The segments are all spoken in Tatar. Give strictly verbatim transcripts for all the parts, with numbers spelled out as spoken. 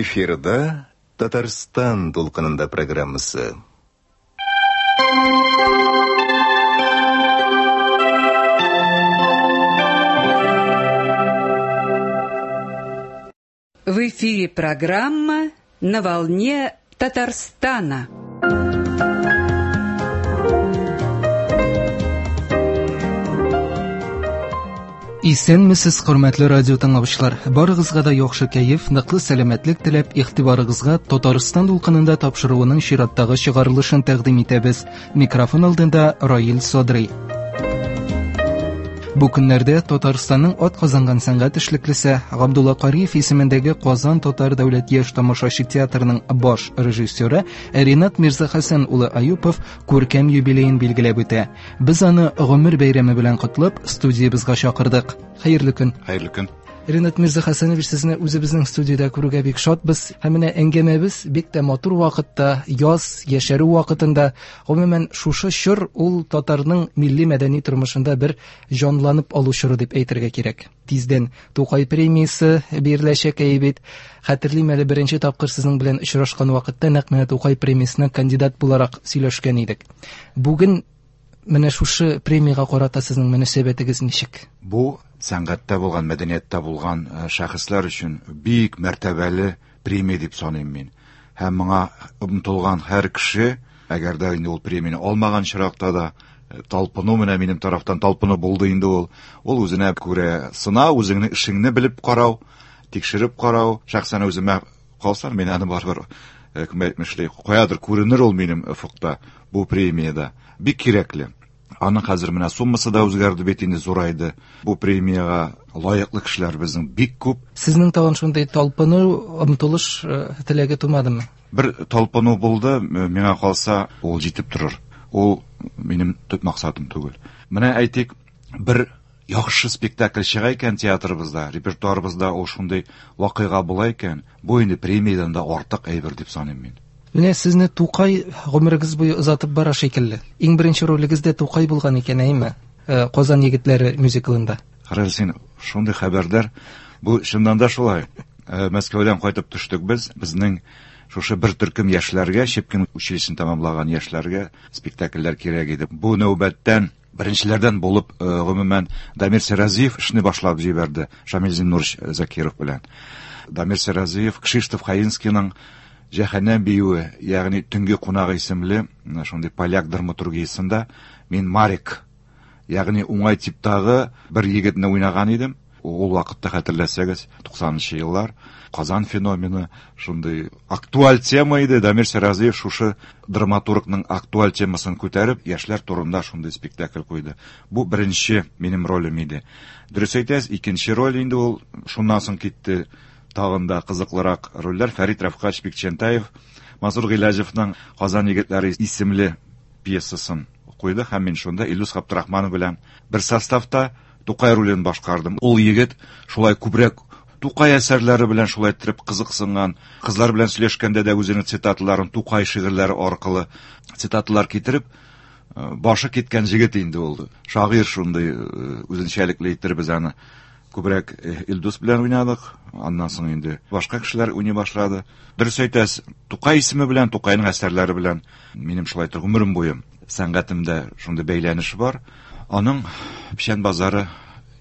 Эфирда Татарстан дулкынында программасы. В эфире программа «На волне Татарстана». Исәнмесез, хөрмәтле радио тыңлаучылар. Барыгызга да яхшы кәеф, ныклы сәламәтлек теләп, игътибарыгызга Татарстан дулкынында тапшыруының чираттагы чыгарылышын тәкъдим итәбез. Микрофон алдында Раил Садрый. Бу көннәрдә Татарстанның ат казанган сәнгать эшлеклесе Габдулла Кариев исемендәге Казан Татар дәүләт яшь тамашачы театрының баш режиссеры Ринат Мирзахасан улы Аюпов күркәм юбилеен билгеләп үтә. Без аны гомер бәйрәме белән котлап, студиябезгә чакырдык. Хәерле көн. Хәерле көн. Ринат Мирзахасанович, сезне үзебезнең студиядә күрүгә бик шатбыз. Һәм менә әңгәмәбез бик тә матур вакытта, яз, яшәрү вакытында, гомумән шушы чор ул татарның милли мәдәни тормышында бер җанланып алу чоры дип әйтергә кирәк. Тиздән Тукай премиясе биреләчәк бит. Хәтерлим әле, беренче тапкыр сезнең белән очрашкан вакытта нәкъ менә Тукай премиясенә кандидат буларак сөйләшкән идек. Бүген менә шушы премиягә карата сезнең мөнәсәбәтегез ничек? Бу сәнгатьтә булган, мәдәнияттә булган шәхесләр өчен бик мәртәбәле премия дип саныйм мин. Һәм моңа омтылган һәр кеше, әгәр дә инде ул премияне алмаган очракта да, талпыну менә минем тарафтан талпыну булды инде ул. Ул үзенә күрә сынау, үзеңнең эшеңне белеп карау, тикшереп карау. Шәхсән үземә калса, мин аны барыбер кем әйтмешли, каядыр күренер ул минем офыкта бу премиядә. Бик кирәкле. Аның хәзер менә суммасы да үзгәрде бит инде, зурайды. Бу премиягә лаеклы кешеләр безнең бик күп. Сезнең тагын шундый талпыну, омтылыш теләге тумадымы? Бер талпыну булды, миңа калса, ул җитеп торыр. Ул минем төп максатым түгел. Менә әйтик, бер яхшы спектакль чыга икән театрыбызда, репертуарыбызда ул шундый вакыйга була икән, бу инде премиядән дә артык әйбер дип саныйм мин. Менә сезне Тукай гомерегез буе озатып бара шикелле. Иң беренче ролегез дә Тукай булган икән, әйме? Казан егетләре мюзиклында. Карагыз, син шундый хәбәрдар. Бу чыннан да шулай. Мәскәүдән кайтып төштек без. Безнең шушы бер төркем яшьләргә, Щепкин училищесын тәмамлаган яшьләргә спектакльләр кирәк иде. Бу нәүбәттән беренчеләрдән булып, гомумән, Дамир Сиразиев эшне башлап җибәрде Шамил Зиннурович Закиров белән. Дамир Сиразиев Кшиштоф Хаинскийның Җәһәннәм биюе, ягъни Төнге кунак исемле шундый поляк драматургиясендә мин Марик, ягъни уңай типтагы бер егетне уйнаган идем. Ул вакытта хәтерләсәгез, туксанынчы еллар, Казан феномены шундый актуаль тема иде. Дамир Сиразиев шушы драматургның актуаль темасын күтәреп, яшьләр турында шундый спектакль куйды. Бу беренче минем ролем иде. Дөрес әйтәсез, икенче роль инде ул шуннан соң китте. Тагын да кызыклырак рольләр Фәрит Рафкач Бикчәнтаев, Мансур Гыйләҗевның Казан егетләре исемле пьесасын куйды һәм мин шунда Илдус Габдрахманов белән бер составта Тукай ролен башкардым. Ул егет шулай күбрәк Тукай әсәрләре белән шулай итеп кызыксынган, кызлар белән сөйләшкәндә дә үзенең цитаталарын Тукай шигырьләре аркылы цитаталар китереп, башы киткән егет инде ул. Шагыйрь шундый үзенчәлекле итеп без аны күбрәк Илдус белән уйнадык. Аннан соң инде башка кешеләр уйный башлады. Дөрес әйтәсез, Тукай исеме белән, Тукайның әсәрләре белән минем шулай итеп гомерем буе сәнгатемдә шундый бәйләнеш бар. Аның Печән базары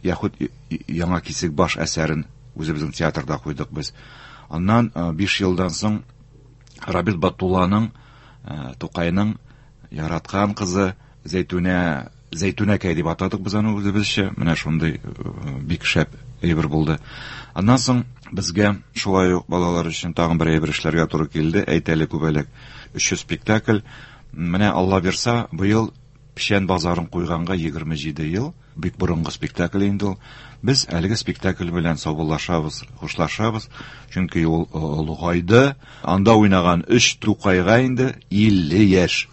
яхуд Яңа Кисекбаш әсәрен үзебезнең театрда куйдык без. Аннан биш елдан соң Рабит Батулланың Тукайның яраткан кызы Зәйтүнә, Зәйтүнәкәй дип атадык без аны үзебезчә. Менә шундый бик шәп әйбер булды. Аннан соң безгә шулай ук балалар өчен тагын бер әйбер эшләргә туры килде. Әйтәле күбәләк өч йөз спектакль. Менә Алла бирса, быел Печән базарын куйганга егерме җиде ел, бик борынгы спектакль инде ул. Без әлеге спектакль белән саубуллашабыз, хушлашабыз, чөнки ул олыгайды. Анда уйнаган өч Тукайга инде илле яшь.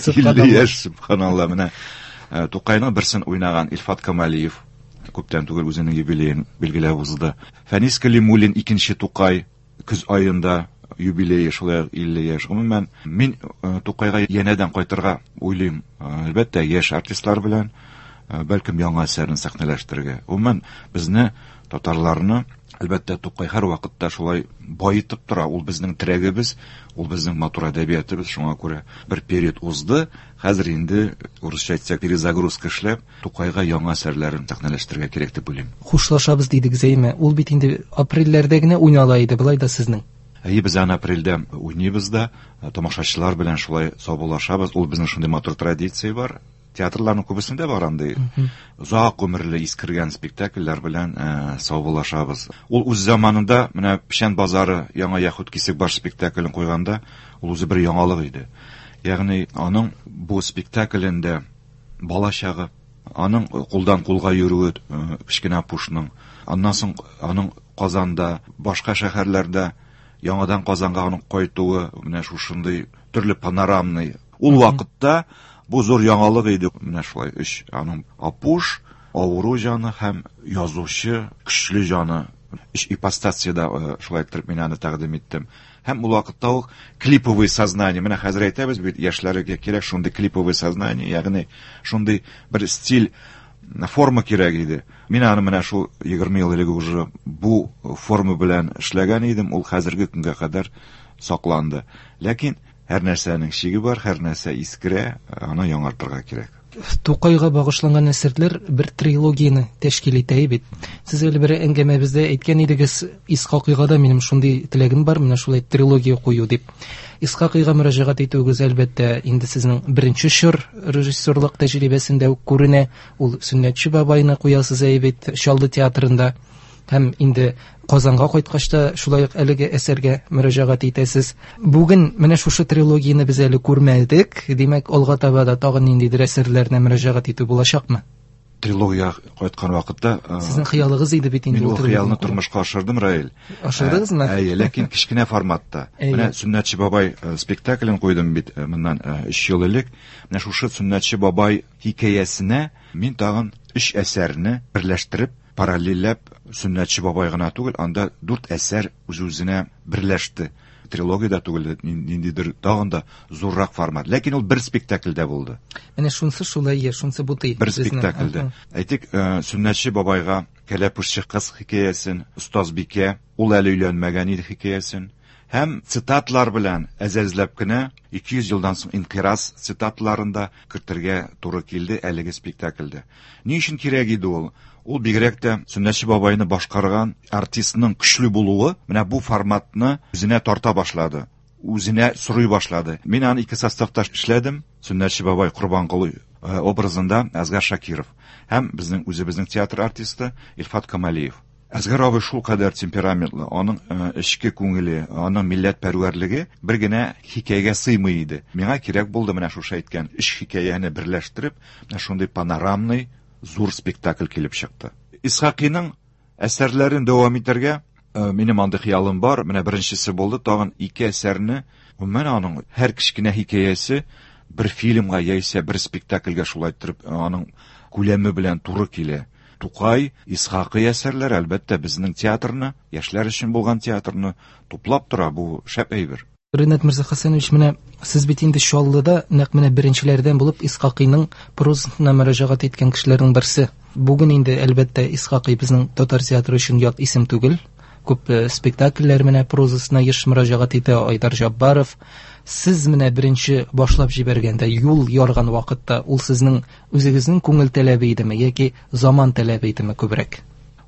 илле яшь, субханалла. Менә Тукайның берсен уйнаган Илфат Камалиев күптән түгел үзенең юбилеен билгеләп узды. Фәнис Калимуллин икенче Тукай көз аенда юбилее шулай илле яшь. Гомумән, мин Тукайга янәдән кайтырга уйлыйм. Әлбәттә, яшь артистлар белән, бәлкем яңа әсәрен сәхнәләштерергә. Гомумән, безне татарларны Әлбәттә, Тукай һәр вакытта шулай байытып тора. Ул безнең терәгебез, ул безнең матур әдәбиятыбыз. Шуңа күрә бер период узды. Хәзер инде, урысча әйтсәк, перезагрузка эшләп, Тукайга яңа әсәрләрен сәхнәләштерергә кирәк дип уйлыйм. Хушлашабыз дидегез, әйме? Ул бит инде апрельләрдә генә уйнала иде, былай да сезнең. Әйе, без аны апрельдә уйныйбыз да, тамашачылар белән шулай саубуллашабыз. Ул безнең шундый матур традиция бар. Театрларның күбесендә бар андый озак гомерле искергән спектакльләр белән э, саубуллашабыз. Ул үз заманында менә Печән базары яңа Яһүд Кисекбаш спектаклен куйганда, ул үзе бер яңалык иде. Ягъни аның бу спектаклендә балачагы, аның кулдан кулга йөрүе э, кечкенә Апушның, аннан соң аның Казанда, башка шәһәрләрдә яңадан Казанга аның кайтуы, менә шушындый төрле панорамный. Ул вакытта бу зур яңалык иде. Менә шулай өч аның Апуш, авыру җаны һәм язучы көчле җаны. Өч ипостасиядә э, шулай иттереп мин аны тәкъдим иттем. Һәм ул вакытта ук клиповый сознание. Менә хәзер әйтәбез бит, яшьләргә кирәк шундый клиповый сознание, ягъни шундый бер стиль, форма кирәк иде. Мин аны менә шул егерме ел элек уже бу форма белән эшләгән идем, ул хәзерге көнгә кадәр сакланды. Ләкин һәр нәрсәнең чиге бар, һәр нәрсә искерә, аны яңартырга кирәк. Тукайга багышланган әсәрләр бер трилогияне тәшкил итә бит. Сез әле бер әңгәмәбездә әйткән идегез, Исхакыйга да минем шундый теләгем бар, менә шулай трилогия кую дип. Исхакыйга мөрәҗәгать итүегез әлбәттә инде сезнең беренче чор режиссерлык тәҗрибәсендә үк күренә. Ул Сөннәтче бабайны куясыз әй бит Чаллы театрында. Һәм инде Казанга кайткач та шулай ук әлеге әсәргә мөрәҗәгать итәсез. Бүген менә шушы трилогияне без әле күрмәдек. Димәк, алга таба да тагын ниндидер әсәрләренә мөрәҗәгать итү булачакмы? Трилогия кайткан вакытта, э, Сезнең хыялыгыз иде бит инде мин ул ул хыялны трилогияне тормышка ашырдым, Раил. Ашырдыгызмы? Ә, Әйе, ләкин кечкенә форматта. Әйе. Менә Сөннәтче бабай э, спектаклен куйдым бит э, моннан э, өч ел элек. Менә шушы Сөннәтче бабай хикәясенә мин тагын өч әсәрне берләштереп, параллельләп Сөннәтче бабай гына түгел, анда дүрт әсәр үз-үзенә берләште. Трилогия да түгел, ниндидер тагын да зуррак формат. Ләкин ул бер спектакльдә булды. Менә шунсы шулай, е, шунсы бутый. Бер безне. спектакльдә. Аһа. Әйтик, э, Сөннәтче бабайга Кәләпүшче кыз хикәясен, Остазбикә, ул әле өйләнмәгән иде хикәясен. Һәм цитатлар белән әзәзләп кенә ике йөз елдан соң инкираз цитатларын да кертергә туры килде әлеге спектакльдә. Ни өчен кирәк иде ул? Ул бигрәк тә Сөннәтче бабайны башкарган артистның көчле булуы менә бу форматны үзенә тарта башлады, үзенә сорый башлады. Мин аны ике составта эшләдем. Сөннәтче бабай Корбанколый, э, образында Әзгар Шакиров һәм безнең үзебезнең театр артисты Илфат Камалиев. Әзгар абый шул кадәр темпераментлы, аның, э, эчке күңеле, аның милләтпәрвәрлеге бер генә хикәягә сыймый иде. Миңа кирәк булды менә шушы әйткән өч хикәяне берләштереп, менә шундый панорамный зур спектакль килеп чыкты. Исхакыйның әсәрләрен дәвам итәргә, э, минем андый хыялым бар. Менә беренчесе булды, тагын ике әсәрне, гомумән аның һәр кечкенә хикәясе бер фильмга яисә бер спектакльгә шулай иттереп, э, аның күләме белән туры килә. Тукай, Исхакый әсәрләре әлбәттә безнең театрны, яшьләр өчен булган театрны туплап тора, бу шәп әйбер. Ринат Мирзахасанович, менә сез бит инде Чаллыда нәкъ менә беренчеләрдән булып Исхакыйның прозасына мөрәҗәгать иткән кешеләрнең берсе. Бүген инде әлбәттә Исхакый безнең татар театры өчен ят исем түгел. Күп, э, спектакльләр менә прозасына еш мөрәҗәгать итә Айдар Җаббаров. Сез менә беренче башлап җибәргәндә, юл ярган вакытта ул сезнең үзегезнең күңел таләбе идеме яки заман таләбе идеме күбрәк?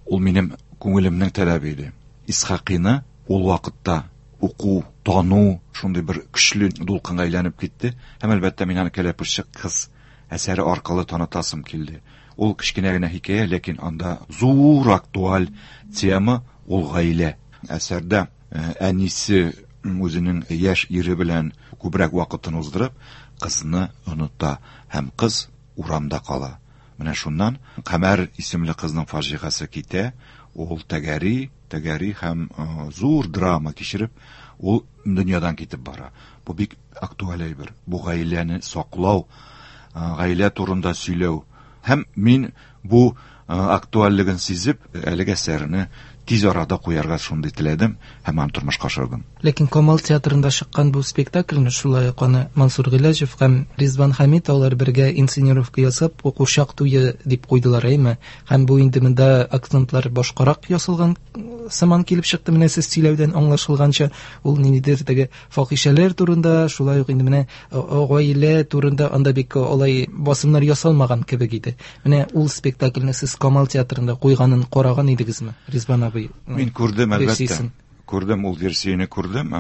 Ул минем күңелемнең таләбе иде. Исхакыйны ул вакытта уку, тану шундый бер көчле дулкынга әйләнеп китте. Һәм әлбәттә мин аны Кәләпүшче кыз әсәре аркылы танытасым килде. Ул кечкенә генә хикәя, ләкин анда зур актуаль тема ул гаилә. Әсәрдә, э, әнисе үзенең яшь ире белән күбрәк вакытын уздырып, кызны оныта һәм кыз урамда кала. Менә шуннан Камәр исемле кызның фаҗигасе китә, ул тәгәри, тәгәри һәм, э, зур драма кичереп, ул дөньядан китеп бара. Бу бик актуаль әйбер. Бу гаиләне саклау, э, гаилә турында сөйләү. Һәм мин бу, э, актуальлеген сизеп, әлеге әсәрне Тиз арада куярга шундый теләдем һәм аны тормышка ашырдым. Ләкин Камал театрында чыккан бу спектакльне шулай ук аны Мансур Гыйләҗев һәм Ризван Хәмид алар бергә инсценировка ясап, Курчак туе дип куйдылар, әйме? Һәм бу инде монда акцентлар башкарак ясалган сыман килеп чыкты. Менә сез сөйләүдән аңлашылганча, ул ниндидер теге фахишәләр турында, шулай ук инде менә гаилә турында анда бик алай басымнар ясалмаган кебек иде. Менә ул спектакльне сез Камал театрында куйганын караган идегезме, Ризван абый? Мин күрдем, әлбәттә. Күрдем, ул версияне күрдем.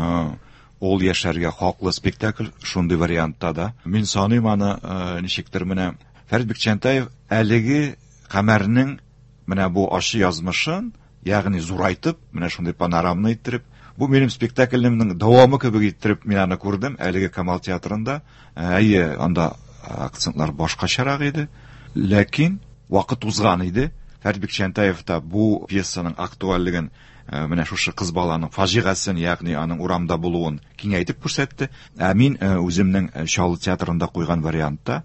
Ул яшәргә хаклы спектакль шундый вариантта да. Мин саныйм аны ничектер менә Фәрит Бикчәнтәев әлеге Камәрнең менә бу ачы язмышын, ягъни зурайтып, менә шундый панорамны иттереп, бу минем спектаклемнең дәвамы кебек иттереп мин аны күрдем әлеге Камал театрында. Әйе, анда акцентлар башкачарак иде, ләкин вакыт узган иде. Фәрит Бикчәнтәев та бу пьесаның актуальлеген, менә шушы кыз баланың фаҗигасын, ягъни аның урамда булуын киңәйтеп күрсәтте. Ә мин үземнең Чаллы театрында куйган вариантта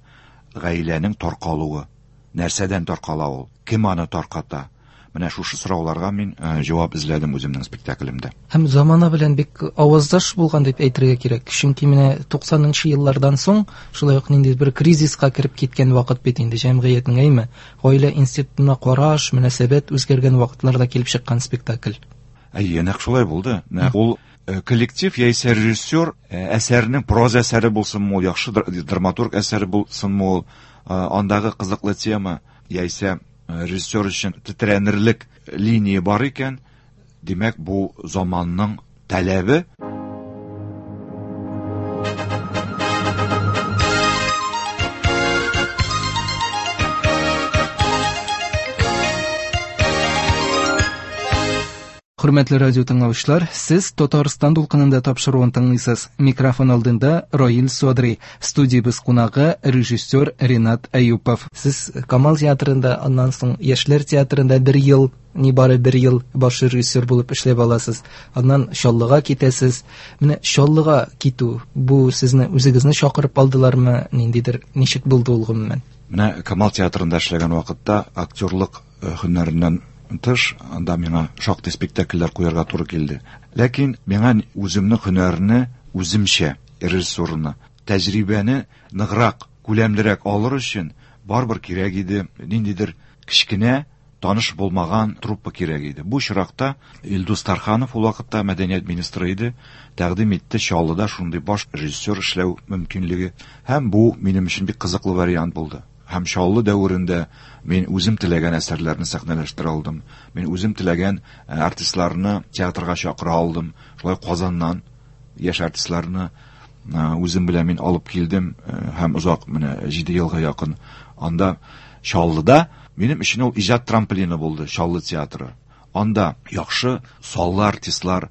гаиләнең таркалуы, нәрсәдән таркала ул, кем аны тарката? Менә шушы сорауларга мин җавап эзләдем үземнең спектаклемдә. Һәм замана белән бик аваздаш булган дип әйтергә кирәк. Чөнки менә туксанынчы еллардан соң шулай ук ниндидер бер кризиска кереп киткән вакыт бит инде җәмгыятьнең, әйме? Гаилә институтына караш, мөнәсәбәт үзгәргән вакытларда килеп чыккан спектакль. Әйе, нәкъ шулай булды. Нәкъ ул коллектив яисә режиссер әсәренең проза әсәре булсынмы ул, яхшы драматург әсәре булсынмы ул, андагы кызыклы тема яисә режиссер өчен тетрәнерлек линия бар икән, димәк, бу заманның таләбе. Хөрмәтле радио тыңлаучылар, сез Татарстан дулкынында тапшыруын тыңлыйсыз. Микрофон алдында Раил Содри, студиябез кунагы режиссер Ренат Әюпов. Сез Камал театрында, аннан соң Яшьләр театрында бер ел, нибары бер ел баш режиссер булып эшләп аласыз. Аннан Чаллыга китәсез. Менә Чаллыга китү, бу сезне үзегезне чакырып алдылармы, ниндидер, ничек булды ул гомумән? Менә Камал театрында эшләгән вакытта актерлык һөнәреннән тыш, анда миңа шактый спектакльләр куярга туры килде. Ләкин миңа үземнең һөнәрне үземчә, режиссурны, тәҗрибәне ныграк, күләмлерәк алыр өчен барыбер кирәк иде, ниндидер кечкенә, таныш булмаган труппа кирәк иде. Бу очракта Илдус Тарханов ул вакытта мәдәният министры иде, тәкъдим итте Чаллыда шундый баш режиссер эшләү мөмкинлеге. Һәм бу минем өчен бик кызыклы вариант булды. Һәм Чаллы дәверендә мин үзем теләгән әсәрләрне сәхнәләштерә алдым. Мин үзем теләгән артистларны театрга чакыра алдым. Шулай Казаннан яшь артистларны үзем белән мин алып килдем һәм озак менә җиде елга якын анда Чаллыда минем өчен ул иҗат трамплины булды, Чаллы театры. Анда яхшы саллы артистлар,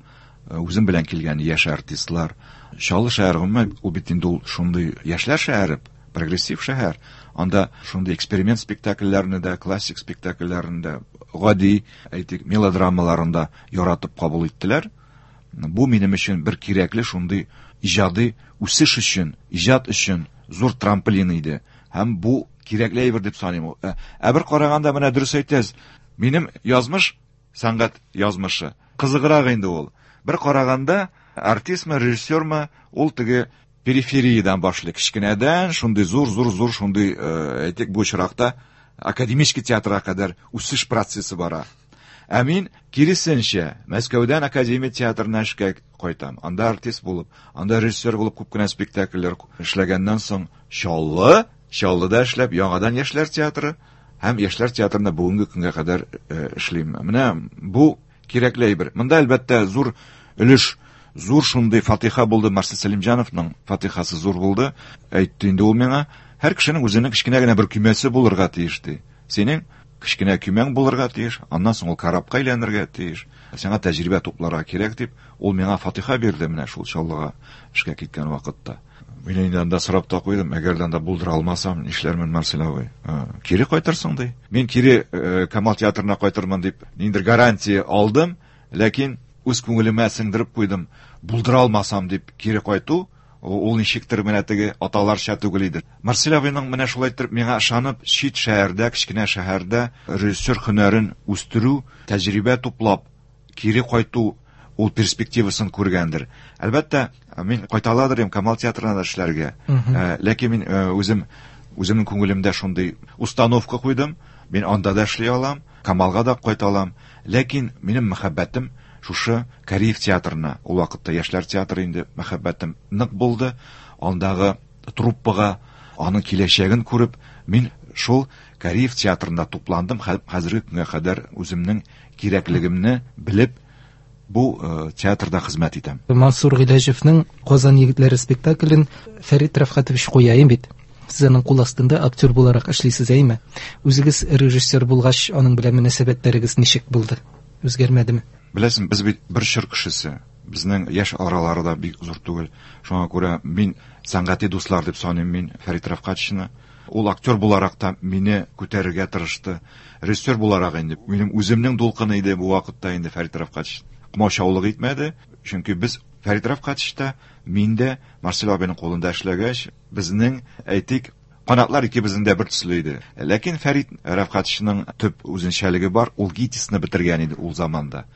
үзем белән килгән яшь артистлар. Чаллы шәһәре гомумән ул бит инде ул шундый яшьләр шәһәре, прогрессив шәһәр. Анда шундый эксперимент спектакльләрне дә, классик спектакльләрне дә, гади, әйтик, мелодрамаларын да яратып кабул иттеләр. Бу минем өчен бер кирәкле шундый иҗади үсеш өчен, иҗат өчен зур трамплин иде. Һәм бу кирәкле әйбер дип саныйм. Ә бер караганда менә дөрес әйтәсез, минем язмыш, сәнгать язмышы кызыграк инде ул. Бер караганда артистмы, режиссермы, ул теге перифериядән башлый, кечкенәдән шундый зур-зур-зур шундый, әйтик, бу очракта академический театрга кадәр үсеш процессы бара. Ә мин киресенчә Мәскәүдән академия театрына эшкә кайтам. Анда артист булып, анда режиссер булып күп кенә спектакльләр эшләгәннән соң Чаллы, Чаллыда эшләп яңадан Яшьләр театры һәм Яшьләр театрында бүгенге көнгә кадәр эшлим. Менә бу кирәкле әйбер. Монда әлбәттә зур өлеш, зур шундый фатиха булды. Марсель Сәлимҗановның фатихасы зур булды. Әйтте инде ул миңа, һәр кешенең үзенең кечкенә генә бер көймәсе булырга тиеш ди. Синең кечкенә көймәң булырга тиеш, аннан соң ул корабка әйләнергә тиеш. Сиңа тәҗрибә тупларга кирәк дип, ул миңа фатиха бирде менә шул Чаллыга эшкә киткән вакытта. Мин инде анда сорап та куйдым, әгәр дә анда булдыра алмасам, нишләрмен, Марсель абый? Кире кайтырсың ди. Мин кире Камал театрына кайтырмын дип ниндидер гарантия алдым, ләкин үз күңелемә сеңдереп куйдым, булдыра алмасам дип кире кайту, ул ничектер менә теге аталарча түгел иде. Марсель абыйның менә шулай итеп миңа ышанып, чит шәһәрдә, кечкенә шәһәрдә режиссер һөнәрен үстерү, тәҗрибә туплап, кире кайту ул перспективасын күргәндер. Әлбәттә, мин кайта аладыр идем Камал театрына да эшләргә. Ләкин мин үзем үземнең күңелемдә шундый установка куйдым. Мин анда да эшли алам, Камалга да кайта алам. Ләкин минем мәхәббәтем шушы Кариев театрына, ул вакытта яшьләр театры инде мәхәббәтем нык булды. Андагы труппага, аның киләчәген күреп, мин шул Кариев театрында тупландым. Хәзерге көнгә кадәр үземнең кирәклегемне белеп, бу театрда хезмәт итәм. Мансур Гыйләҗевнең Казан егетләре спектаклен Фәрит Рәфкатович куя бит. Сез аның кул астында актер буларак эшлисез, әйме? Үзегез режиссер булгач, аның белән мөнәсәбәтләрегез ничек булды? Үзгәрмәдеме? Беләсең, без бит бер чор кешесе. Безнең яшь аралары да бик зур түгел. Шуңа күрә мин сәнгати дуслар дип саныйм мин Фәрит Рәфкатовичны. Ул актер буларак та мине күтәрергә тырышты. Режиссер буларак инде минем үземнең дулкыны иде бу вакытта инде Фәрит Рәфкатович. Комачаулык итмәде, чөнки без Фәрит Рәфкатович та, мин дә Марсель абыйның кулында эшләгәч, безнең, әйтик, канатлар икебезнең дә бер төсле иде. Ләкин Фәрит Рәфкатовичның төп үзенчәлеге бар, ул ГИТИСны бетергән иде ул заманда.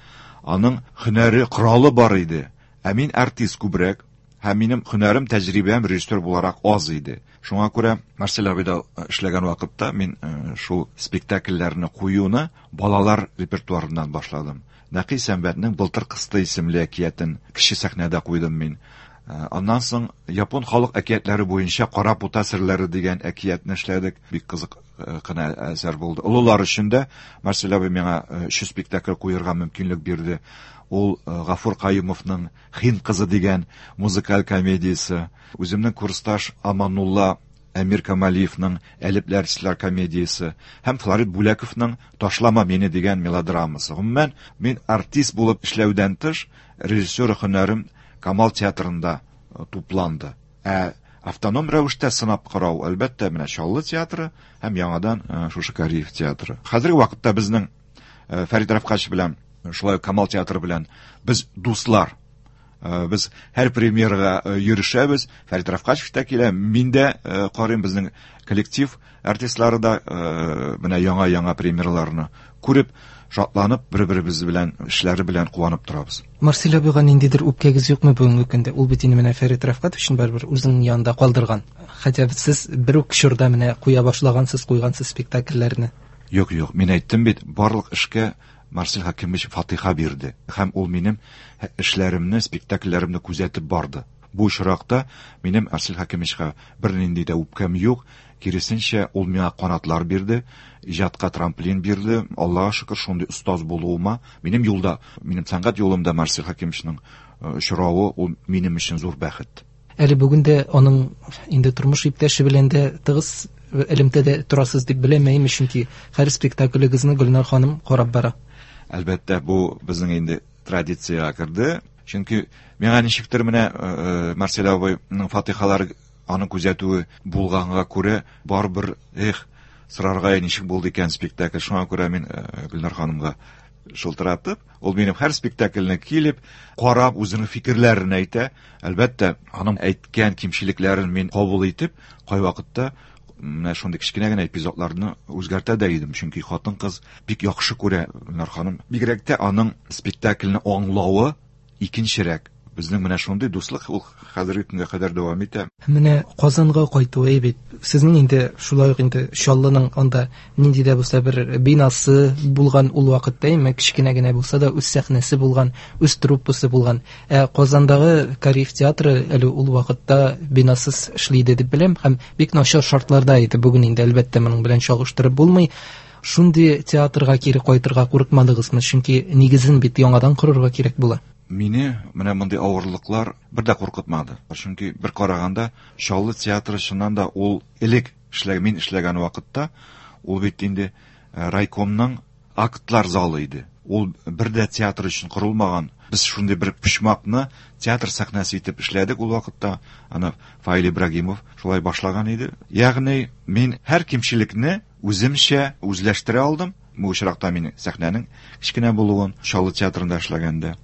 Аның һөнәре, коралы бар иде. Ә мин артист күбрәк, һәм минем һөнәрем, тәҗрибәм режиссер буларак аз иде. Шуңа күрә Марсель абыйда эшләгән вакытта мин шул спектакльләрне куюны балалар репертуарыннан башладым. Нәкый Сәнбәтнең Былтыр кысты исемле әкиятен кече сәхнәдә куйдым мин. Аннан соң япон халык әкиятләре буенча Кара пута серләре дигән әкиятне эшләдек. Бик кызык кына әсәр булды. Олылар өчен дә Марсель абый миңа өч спектакль куярга мөмкинлек бирде. Ул Гафур Каюмовның Хин кызы дигән музыкаль комедиясе, үземнең курсташ Аманулла Әмир Камалиевның Әлепләр силәр комедиясе һәм Флорид Бүләковның Ташлама мине дигән мелодрамасы. Гомумән, мин артист булып эшләүдән тыш, режиссер һөнәрем Камал театрында тупланды. Ә автоном рәвештә сынап карау, әлбәттә, менә Чаллы театры һәм яңадан шушы Кариев театры. Хәзерге вакытта безнең Фәрит Рәфкатович белән, шулай ук Камал театры белән без дуслар. Без һәр премьерага йөрешәбез. Фәрит Рәфкатович та килә, мин дә карыйм, безнең коллектив артистлары да менә яңа-яңа премьераларны күреп, шатланып, бер-беребез белән, эшләре белән куанып торабыз. Марсель абыйга ниндидер үпкәгез юкмы бүгенге көндә? Ул бит инде менә Фәрит Рәфкатовичны барыбер үзенең янында калдырган. Хәтта сез бер үк чорда менә куя башлагансыз, куйгансыз спектакльләрне. Юк, юк, мин әйттем бит, барлык эшкә Марсель Хакимович фатиха бирде. Һәм ул минем эшләремне, спектакльләремне күзәтеп барды. Бу очракта минем Марсель Хакимовичка бернинди дә үпкәм юк. Киресенчә, ул миңа канатлар бирде, иҗатка трамплин бирде. Аллаһка шөкер, шундый остаз булуыма, минем юлда, минем сәнгать юлымда Марсель Хакимовичның очравы ул минем өчен зур бәхет. Әле бүген дә аның инде тормыш иптәше белән дә тыгыз элемтәдә торасыз дип беләм, чөнки һәр спектаклегезне Гөлнар ханым карап бара. Әлбәттә, бу безнең инде традициягә керде. Чөнки миңа ничектер менә Марсель абыйның фатихалары, аның күзәтүе булганга күрә, барыбер, эх, сорарга ничек булды икән спектакль. Шуңа күрә мин Гөлнар ханымга шылтыратып, ул минем һәр спектакльне килеп, карап, үзенең фикерләрен әйтә. Әлбәттә, аның әйткән кимчелекләрен мин кабул итеп, кайвакытта менә шундый кечкенә генә эпизодларны үзгәртә дә идем, чөнки хатын-кыз бик яхшы күрә Гөлнар ханым. Бигрәк тә аның спектакльне аңлавы икенчерәк. Безнең менә шундый дуслык ул хәзерге көнгә кадәр дәвам итә. Менә Казанга кайту бит. Сезнең инде шулай ук инде Чаллының анда нинди дә булса бер бинасы булган ул вакытта, әмма кечкенә генә булса да үз сәхнәсе булган, үз труппасы булган. Ә Казандагы Кариев театры әле ул вакытта бинасыз эшли иде дип беләм һәм бик начар шартларда иде. Бүген инде әлбәттә моның белән чагыштырып булмый. Шундый театрга кире кайтырга курыкмадыгызмы? Чөнки нигезен бит яңадан корырга кирәк була. Мине менә мондый авырлыклар бер дә куркытмады. Чөнки бер караганда Чаллы театры чыннан да ул элек эшләгән, мин эшләгән вакытта ул бит инде райкомның актлар залы иде. Ул бер дә театр өчен корылмаган. Без шундый бер почмакны театр сәхнәсе итеп эшләдек ул вакытта. Аны Фаил Ибрагимов шулай башлаган иде. Ягъни мин һәр кимчелекне үземчә үзләштерә алдым. Бу очракта мин сәхнәнең кечкенә булуын Чаллы театрында эшләгәндә,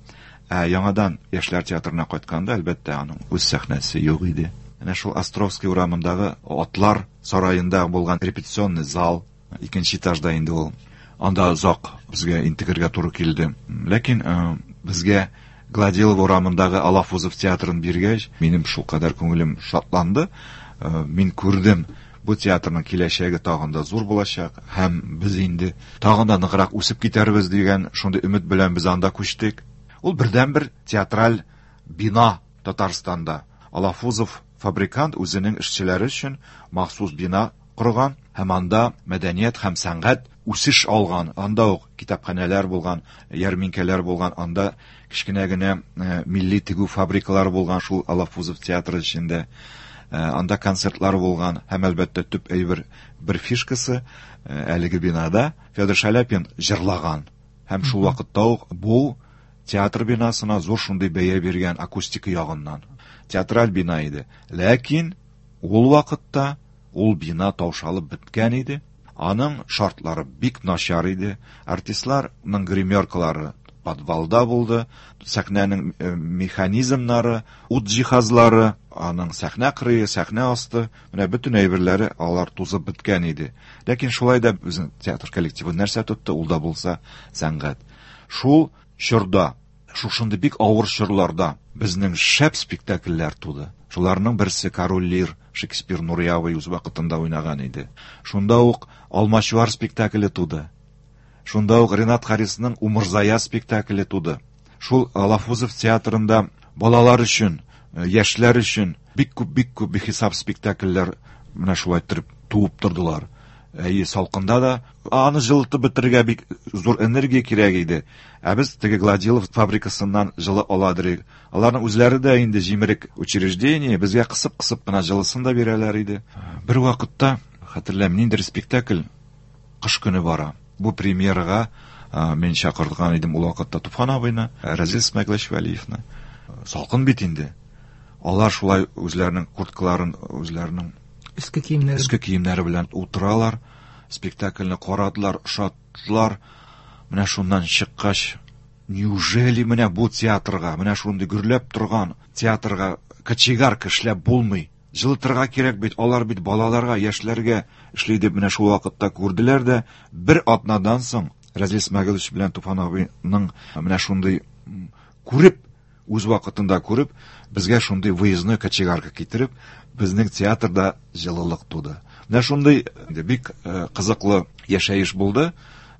ә яңадан Яшьләр театрына кайтканда, әлбәттә, аның үз сәхнәсе юк иде. Әнә шул Островский урамындагы Атлар сараенда булган репетиционный зал, икенче этажда инде ул. Анда озак безгә интегергә туры килде. Ләкин безгә Гладилов урамындагы Алафузов театрын биргәч, минем шулкадәр күңелем шатланды. Мин күрдем, бу театрның киләчәге тагын да зур булачак һәм без инде тагын да ныграк үсеп китәрбез дигән шундый өмет белән без анда күчтек. Ул бердәнбер театраль бина Татарстанда. Алафузов фабрикант үзенең эшчеләре өчен махсус бина корган һәм анда мәдәният һәм сәнгать үсеш алган. Анда ук китапханәләр булган, ярминкәләр булган, анда кечкенә генә милли тегү фабрикалары булган шул Алафузов театры эчендә. Анда концертлар булган һәм әлбәттә төп әйбер бер фишкасы әлеге бинада Федор Шаляпин җырлаган. Һәм шул вакытта ук бу театр бинасына зур шундый бәя биргән акустика ягыннан. Театраль бина иде. Ләкин ул вакытта ул бина таушалып беткән иде. Аның шартлары бик начар иде. Артистларның гримеркалары подвалда булды. Сәхнәнең механизмнары, ут җиһазлары, аның сәхнә кырые, сәхнә асты, менә бөтен әйберләре алар тузып беткән иде. Ләкин шулай да безнең театр коллективы нәрсә тотты, ул да булса сәнгать. Шул чорда, шушындый бик авыр чорларда безнең шәп спектакльләр туды. Шуларның берсе Король Лир, Шекспир Нурьявый үз вакытында уйнаган иде. Шунда ук Алмачуар спектакле туды. Шунда ук Ренат Харисның Умырзая спектакле туды. Шул Алафузов театрында балалар өчен, яшьләр өчен бик күп, бик күп бихисап спектакльләр менә шулай итеп туып тордылар. Әйе, салкында да аны җылытып бетерергә бик зур энергия кирәк иде. Ә без теге Гладилов фабрикасыннан җылы аладыр. Аларның үзләре дә инде җимерек учреждение, безгә кысып-кысып кына җылысын да бирәләр иде. Бер вакытта, хәтерләмим, ниндидер спектакль кыш көне бара. Бу премьерага мин чакырган идем ул вакытта Туфан абыйны, Разил Исмәгыйлович Вәлиевны. Салкын бит инде. Алар шулай үзләренең курткаларын, үзләренең өске киемнәре, өске киемнәре белән утыралар, спектакльне карадылар, ошаттылар. Менә шуннан чыккач, неужели менә бу театрга, менә шундый гөрләп торган театрга кочегарка эшләп булмый? Җылытырга кирәк бит, алар бит балаларга, яшьләргә эшли дип менә шул вакытта күрделәр дә, бер атнадан соң Разил Исмәгыйлович белән Туфан абыйның менә шундый күреп, үз вакытында күреп, безгә шундый выездной кочегарка китереп, безнең театрда җылылык туды. Менә шундый бик кызыклы яшәеш булды.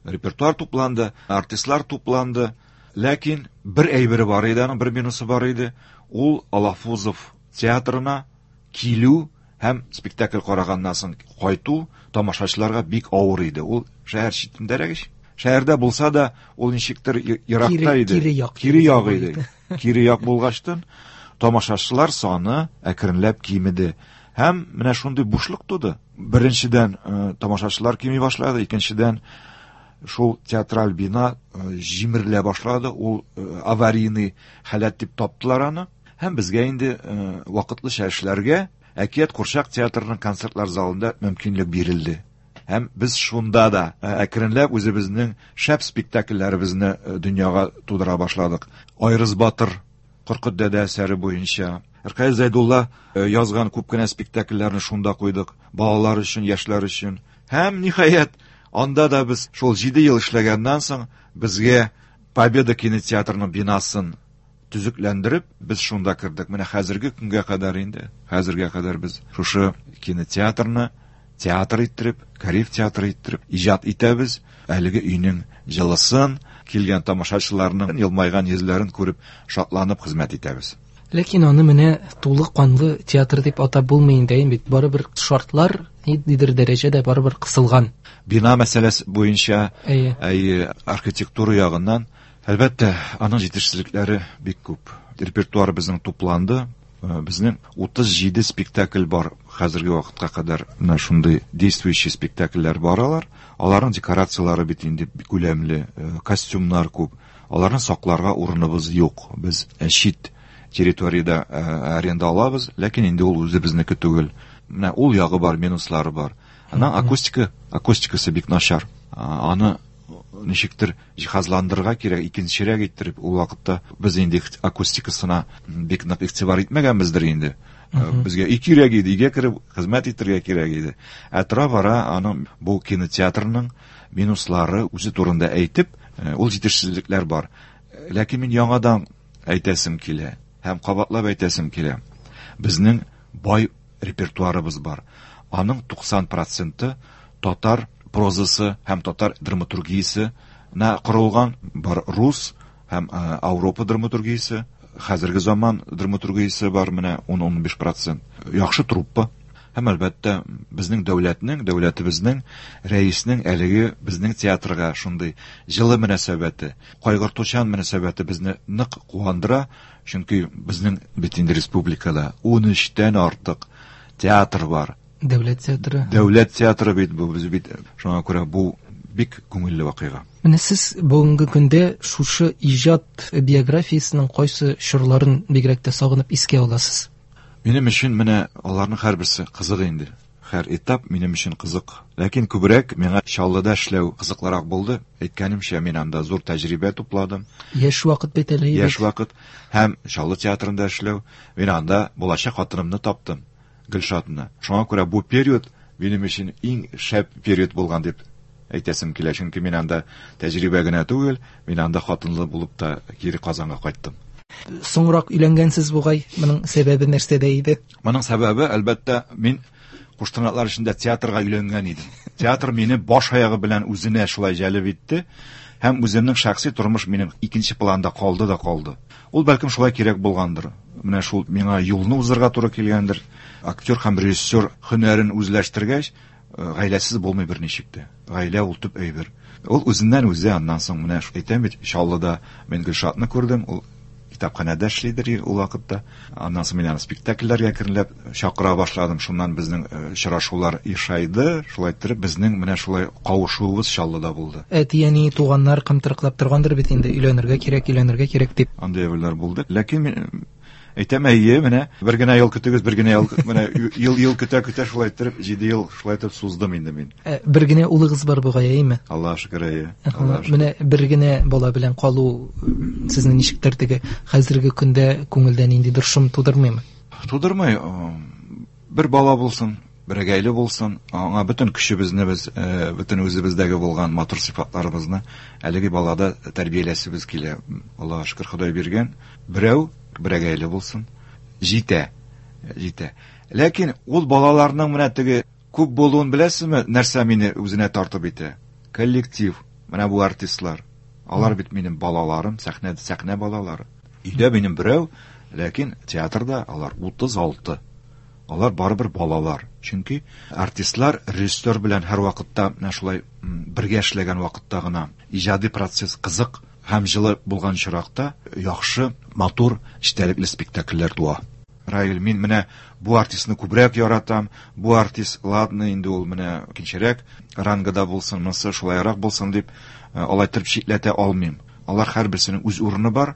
Репертуар тупланды, артистлар тупланды. Ләкин бер әйбере бар иде, аның бер минусы бар иде. Ул Алафузов театрына килү һәм спектакль караганнан соң кайту тамашачыларга бик авыр иде. Ул шәһәр читендәрәк ич. Шәһәрдә булса да, ул ничектер еракта иде. Кире як. Кире як иде. Кире як булгачтын тамашачылар саны әкренләп кимеде. Һәм менә шундый бушлык туды. Беренчедән, тамашачылар кими башлады, икенчедән, шул театраль бина җимерелә башлады. Ул аварийный халәт дип таптылар аны. Һәм безгә инде вакытлыча эшләргә Әкият курчак театрының концертлар залында мөмкинлек бирелде. Һәм без шунда да әкренләп үзебезнең шәп спектакльләребезне дөньяга тудыра башладык. Айрыз Батыр, Коркыт дәдә әсәре буенча, Ркаил Зәйдулла язган күп кенә спектакльләрне шунда куйдык, балалар өчен, яшьләр өчен. Һәм ниһаять, анда да без шул җиде ел эшләгәннән соң безгә Победа кинотеатрының бинасын төзекләндереп, без шунда кердек. Менә хәзерге көнгә кадәр инде, хәзергә кадәр без шушы кинотеатрны театр иттереп, Кариев театры иттереп иҗат итәбез. Әлеге өйнең җылысын, килгән тамашачыларның елмайган йөзләрен күреп, шатланып хезмәт итәбез. Ләкин аны менә тулы канлы театр дип атап булмый инде, бит барыбер шартлар ниндидер дәрәҗәдә барыбер кысылган. Бина мәсьәләсе буенча, әйе, әйе, архитектура ягыннан, әлбәттә, аның җитешсезлекләре бик күп. Репертуар безнең тупланды. Безнең утыз җиде спектакль бар хәзерге вакытка кадәр. Менә шундый действующий спектакльләр бар алар. Аларның декорацияләре бит инде бик күләмле, костюмнар күп. Аларны сакларга урыныбыз юк. Без чит территориядә аренда алабыз, ләкин инде ул үзебезнеке түгел. Менә ул ягы бар, минуслары бар. Аның акустика, акустикасы бик начар. Аны ничектер җиһазландырырга кирәк, икенчерәк иттереп, ул вакытта без инде акустикасына бик нык игътибар итмәгәнбездер инде. Безгә өй кирәк иде, өйгә кереп хезмәт итәргә кирәк иде. Ә тора-бара аның бу кинотеатрның минуслары үзе турында әйтеп, ул җитешсезлекләр бар. Ләкин мин яңадан әйтәсем килә һәм кабатлап әйтәсем килә. Безнең бай репертуарыбыз бар. Аның туксан проценты татар прозасы һәм татар драматургиясенә корылган, бар рус һәм Ауропа драматургиясе, хәзерге заман драматургиясе бар, менә ун-унбиш процент. Яхшы труппа. Һәм әлбәттә безнең дәүләтнең, дәүләтебезнең, рәиснең әлеге безнең театрга шундый җылы мөнәсәбәте, кайгыртучан мөнәсәбәте безне нык куандыра, чөнки безнең бит инде республикада ун өчтән артык театр бар. Дәүләт театры. Дәүләт театры бит бу, без бит шуңа күрә бу бик күңелле вакыйга. Менә сез бүгенге көндә шушы иҗат биографиясенең кайсы чорларын бигрәк тә сагынып искә аласыз? Минем өчен менә аларның һәрберсе кызык инде. Һәр этап минем өчен кызык. Ләкин күбрәк миңа Чаллыда эшләү кызыклырак булды. Әйткәнемчә, мин анда зур тәҗрибә тупладым. Яшь вакыт бит әле. Яшь вакыт һәм Чаллы театрында эшләү. Мин анда булачак хатынымны таптым, Гөлшатны. Шуңа күрә бу период минем өчен иң шәп период булган дип әйтәсем килә. Чөнки мин анда тәҗрибә генә түгел, мин анда хатынлы булып та кире Казанга кайттым. Соңрак өйләнгәнсез бугай, моның сәбәбе нәрсәдә иде? Моның сәбәбе, әлбәттә, мин куштырнаклар эчендә театрга өйләнгән идем. Театр мине баш аягы белән үзенә шулай җәлеп итте һәм үземнең шәхси тормыш минем икенче планда калды да калды. Ул бәлкем шулай кирәк булгандыр. Менә шул миңа юлны узырга туры килгәндер. Актер һәм режиссер һөнәрен үзләштергәч, гаиләсез булмый берничек тә. Гаилә ул төп әйбер. Ул үзеннән үзе, аннан соң менә әйтәм бит, Чаллыда мин Гөлшатны күрдем, ул китапханәдә эшлидер ул вакытта. Аннан соң мин аны спектакльләргә әкренләп чакыра башладым. Шуннан безнең очрашулар ишайды. Шулай иттереп безнең менә шулай кавышуыбыз Чаллыда булды. Әти-әни, туганнар кымтырыклап торгандыр бит инде, өйләнергә кирәк, өйләнергә кирәк дип. Андый әйберләр булды. Ләкин мин әйтәм, әйе, менә бер генә ел көтегез, бер генә ел, менә ел, ел көтә-көтә шулай иттереп җиде ел шулай итеп суздым инде мин. Ә, бер генә улыгыз бар бугай, әйеме? Аллаһ шөкер, әйе. Аллаһ шөкер. Менә бер генә бала белән калу сезне ничектер теге хәзерге көндә күңелдә ниндидер шом тудырмыймы? Тудырмый. Бер бала булсын, берәгәйле булсын, аңа бөтен көчебезне без, бөтен үзебездәге булган матур сыйфатларыбызны әлеге балада тәрбияләсебез килә. Аллаһ шөкер, Ходай биргән. Берәү берәгәйле булсын, җитә, җитә. Ләкин ул балаларның менә теге күп булуын беләсезме, нәрсә мине үзенә тартып итә? Коллектив, менә бу артистлар. Алар бит минем балаларым, сәхнә, сәхнә балалары. Өйдә минем берәү, ләкин театрда алар утыз алты. Алар барыбер балалар. Чөнки артистлар режиссер белән һәр вакытта менә шулай бергә эшләгән вакытта гына иҗади процесс кызык һәм җылы булган чиракта яхшы, матур, эчтәлекле спектакльләр туа. Раил, мин менә бу артистны күбрәк яратам, бу артист, ладно, инде ул менә икенчерәк рангада булсын, монысы шулайрак булсын дип, алай итеп читләтә алмыйм. Алар һәрберсенең үз урыны бар,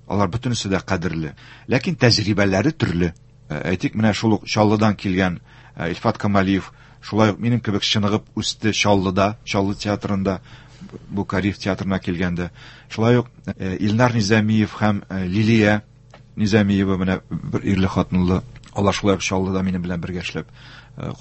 алар бөтенесе дә кадерле. Ләкин тәҗрибәләре төрле. Әйтик, менә шул ук Чаллыдан килгән Илфат Камалиев, шулай ук минем кебек чыныгып үсте Чаллыда, Чаллы театрында, бу Кариев театрына килгәндә. Шулай ук Илнар Низамиев һәм Лилия Низамиева, менә бер ирле хатынлы, алар шулай ук Чаллыда минем белән бергә эшләп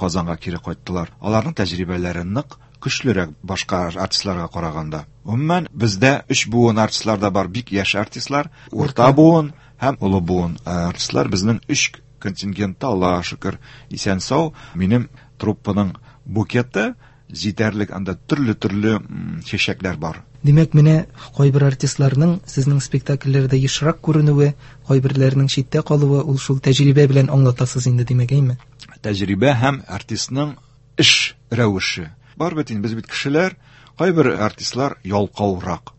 Казанга кире кайттылар. Аларның тәҗрибәләре нык, көчлерәк башка артистларга караганда. Гомумән, бездә өч буын артистлар да бар, бик яшь артистлар, урта буын һәм олы буын артистлар. Безнең өч контингентта, Аллаһ шөкер, исән-сау. Минем труппаның букеты җитәрлек, анда төрле-төрле чәчәкләр бар. Димәк, менә кайбер артистларның сезнең спектакльләрдә ешрак күренүе, кайберләренең читтә калуы, ул шул тәҗрибә белән аңлатасыз инде, димәк, әйме? Тәҗрибә һәм артистның эш рәвеше. Бар бит инде, без бит кешеләр, кайбер артистлар ялкаурак.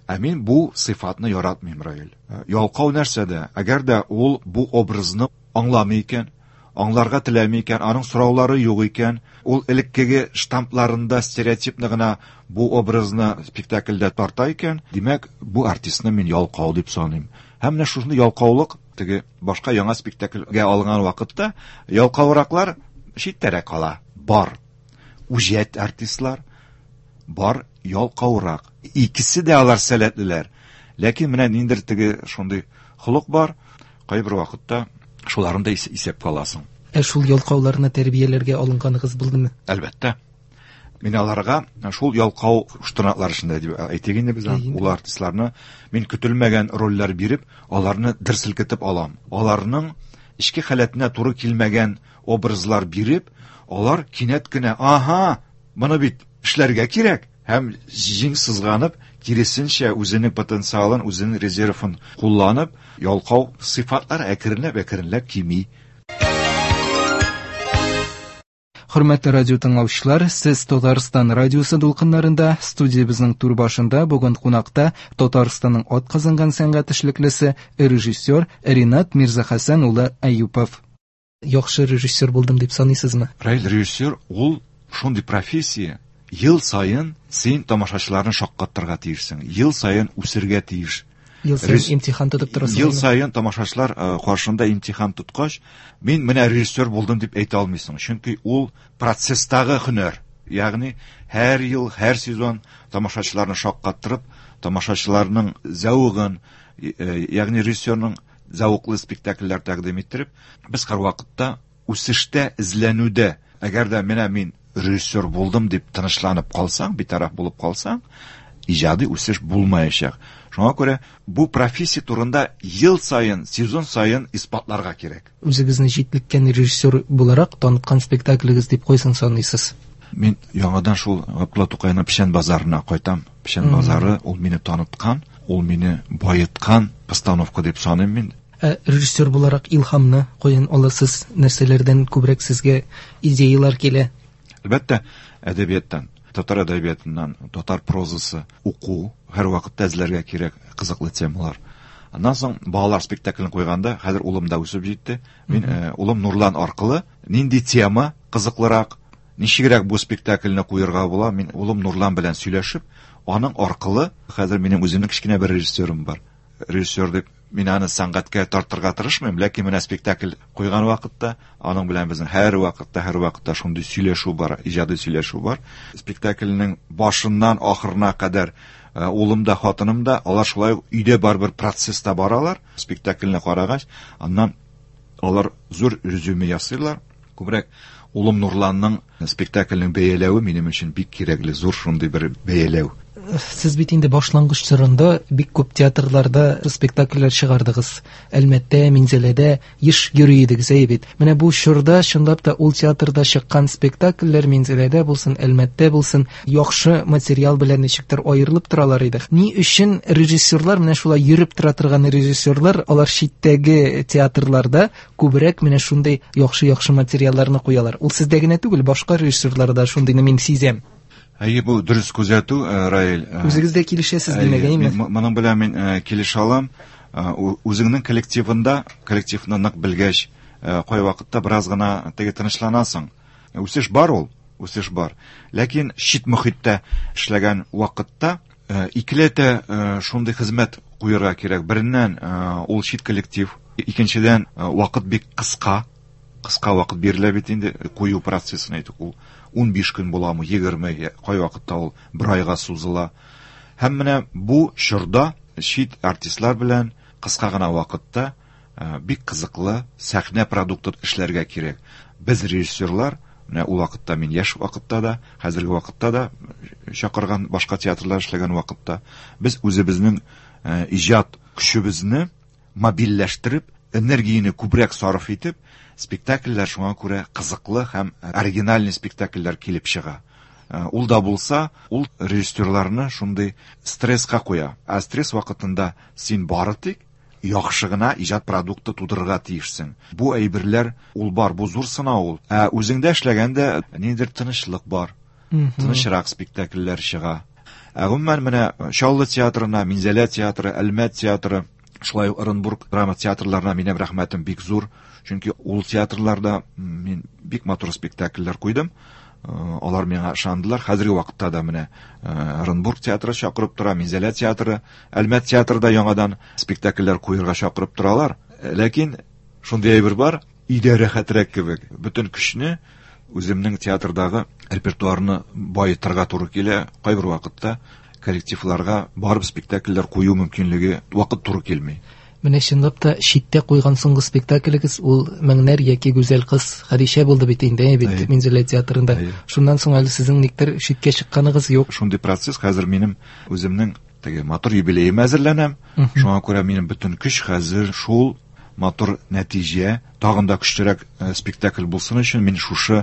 Ә мин бу сыйфатны яратмыйм, Раил. Ялкау нәрсәдә? Әгәр дә ул бу образны аңламый икән, аңларга теләми икән, аның сораулары юк икән, ул элеккеге штампларында стереотипны гына бу образны спектакльдә тарта икән, димәк, бу артистны мин ялкау дип саныйм. Һәм менә шушындый ялкаулык теге башка яңа спектакльгә алынган вакытта ялкаураклар читтәрәк кала. Бар үҗәт артистлар, бар ялкаурак. Икесе дә алар сәләтлеләр. Ләкин менә ниндидер теге шундый холык бар, кайбер вакытта Шуларын да исәпкә аласың. Ә шул ялкауларны тәрбияләргә алынганыгыз булдымы? Әлбәттә. Мин аларга шул ялкау штырнаклар эчендә дип әйтик инде без ул артистларны мин көтелмәгән рольләр биреп, аларны дер селкетеп алам. Аларның эчке халәтенә туры килмәгән образлар биреп, алар кинәт кенә, аһа, моны бит эшләргә кирәк һәм җиң сызганып, киресенчә үзенең потенциалын, үзенең резервын кулланып, ялкау сыйфатлар әкренләп-әкренләп кими. Хөрмәтле радио тыңлаучылар, сез Татарстан радиосы дулкыннарында, студиябезнең түр башында бүген кунакта Татарстанның атказанган сәнгать эшлеклесе, режиссер Ринат Мирзахасан улы Әюпов. Яхшы режиссер булдым дип саныйсызмы? Раил, режиссер ул шундый профессия, ел саен син тамашачыларны шаккатырга тиешсең, ел саен үсергә тиеш. Ел саен имтихан тотып торасың. Ел саен тамашачылар каршында имтихан тоткач, мин менә режиссер булдым дип әйтә алмыйсың. Чөнки ул процесстагы һөнәр. Ягъни һәр ел, һәр сезон тамашачыларны шаккаттырып, тамашачыларның зәвыгын, ягъни режиссерның зәвыклы спектакльләр тәкъдим иттереп, без һәрвакытта үсештә, эзләнүдә. Әгәр дә менә мин режиссер булдым дип тынычланып калсаң, битараф булып калсаң, иҗади үсеш булмаячак. Шуңа күрә бу профессия турында ел саен, сезон саен исбатларга кирәк. Үзегезне җитлеккән режиссер буларак таныткан спектаклегез дип кайсын саныйсыз? Мин яңадан шул Габдулла Тукайның Печән базарына кайтам. Печән базары ул мине таныткан, ул мине байыткан постановка дип саныйм мин. Ә режиссер буларак илһамны каян аласыз? Нәрсәләрдән күбрәк сезгә идеялар килә? Әлбәттә, әдәбияттан, татар әдәбиятыннан, татар прозасы уку һәр вакытта эзләргә кирәк кызыклы темалар. Аннан соң балалар спектаклен куйганда, хәзер улым да үсеп җитте. Мин э, улым Нурлан аркылы нинди тема кызыклырак, ничегрәк бу спектакльне куярга була, мин улым Нурлан белән сөйләшеп, аның аркылы хәзер минем үземнең кечкенә бер режиссерым бар. Режиссер дип мин аны сәнгатькә тартырга тырышмыйм, ләкин менә спектакль куйган вакытта аның белән безнең һәр вакытта, һәр вакытта шундый сөйләшү бар, иҗади сөйләшү бар. Спектакльнең башыннан ахырына кадәр улым да, хатыным да, алар шулай өйдә барбер процесста баралар. Спектакльне карагач, аннан алар зур резюме ясыйлар. Күбрәк улым Нурланның спектакльнең бәяләве минем өчен бик кирәкле, зур шундый бер бәяләү. Сез бит инде башлангыч чорында бик күп театрларда спектакльләр чыгардыгыз. Әлмәттә, Минзәләдә еш йөри идегез, әйе бит. Менә бу чорда чынлап та ул театрда чыккан спектакльләр Минзәләдә булсын, Әлмәттә булсын, яхшы материал белән ничектер аерылып торалар иде. Ни өчен режиссерлар, менә шулай йөреп тора торган режиссерлар, алар читтәге театрларда күбрәк менә шундый яхшы-яхшы материалларны куялар? Ул сездә генә түгел, башка режиссерларда шундыйны мин сизәм. Әйе, бу дөрес күзәтү, Раил. Үзегез дә килешәсез димәк, әйеме? Моның белән мин килешә алам. Үзеңнең коллективында, коллективны нык белгәч, кай вакытта бераз гына теге тынычланасың. Үсеш бар ул, үсеш бар. Ләкин чит мөхиттә эшләгән вакытта икеләтә шундый хезмәт куярга кирәк. Береннән, ул чит коллектив, икенчедән, вакыт бик кыска. Кыска вакыт бирелә бит инде кую процессына әйтик, ул ун биш көн буламы, егерме, кай вакытта ул бер айга сузыла. Һәм менә бу чорда чит артистлар белән кыска гына вакытта бик кызыклы сәхнә продукты эшләргә кирәк. Без режиссерлар, менә ул вакытта мин яшь вакытта да, хәзерге вакытта да чакырган башка театрлар эшләгән вакытта без үзебезнең иҗат көчебезне мобильләштереп, энергияне күбрәк сарыф итеп, спектакльләр шуңа күрә кызыклы һәм оригинальный спектакльләр килеп чыга. Ул да булса, ул режиссерларны шундый стресска куя. Ә стресс вакытында син бары тик яхшы гына иҗат продукты тудырырга тиешсең. Бу әйберләр ул бар, бу зур сынау ул. Ә үзеңдә эшләгәндә ниндидер тынычлык бар. Тынычрак спектакльләр чыга. Ә гомумән менә Чаллы театрына, Минзәлә театры, Әлмәт театры, шулай ук Оренбург драма театрларына минем рәхмәтем бик зур. Чөнки ул театрларда мин бик матур спектакльләр куйдым. Алар миңа ышандылар. Хәзерге вакытта да менә Оренбург театры чакырып тора, Минзәлә театры, Әлмәт театры да яңадан спектакльләр куярга чакырып торалар. Ләкин шундый әйбер бар, өйдә рәхәтрәк кебек. Бөтен көчне үземнең театрдагы репертуарны баетырга туры килә. Кайбер вакытта коллективларга барып спектакльләр кую мөмкинлеге вакыт туры килми. Менә чынлап та читтә куйган соңгы спектаклегез ул Меңнәр яки Гүзәл кыз Хәдичә булды бит инде, бит Минзәлә театрында. Шуннан соң әле сезнең никтер читкә чыкканыгыз юк. Шундый процесс хәзер минем үземнең теге матур юбилеем әзерләнәм. Шуңа күрә минем бөтен көч хәзер шул матур нәтиҗә, тагын да көчлерәк спектакль булсын өчен мин шушы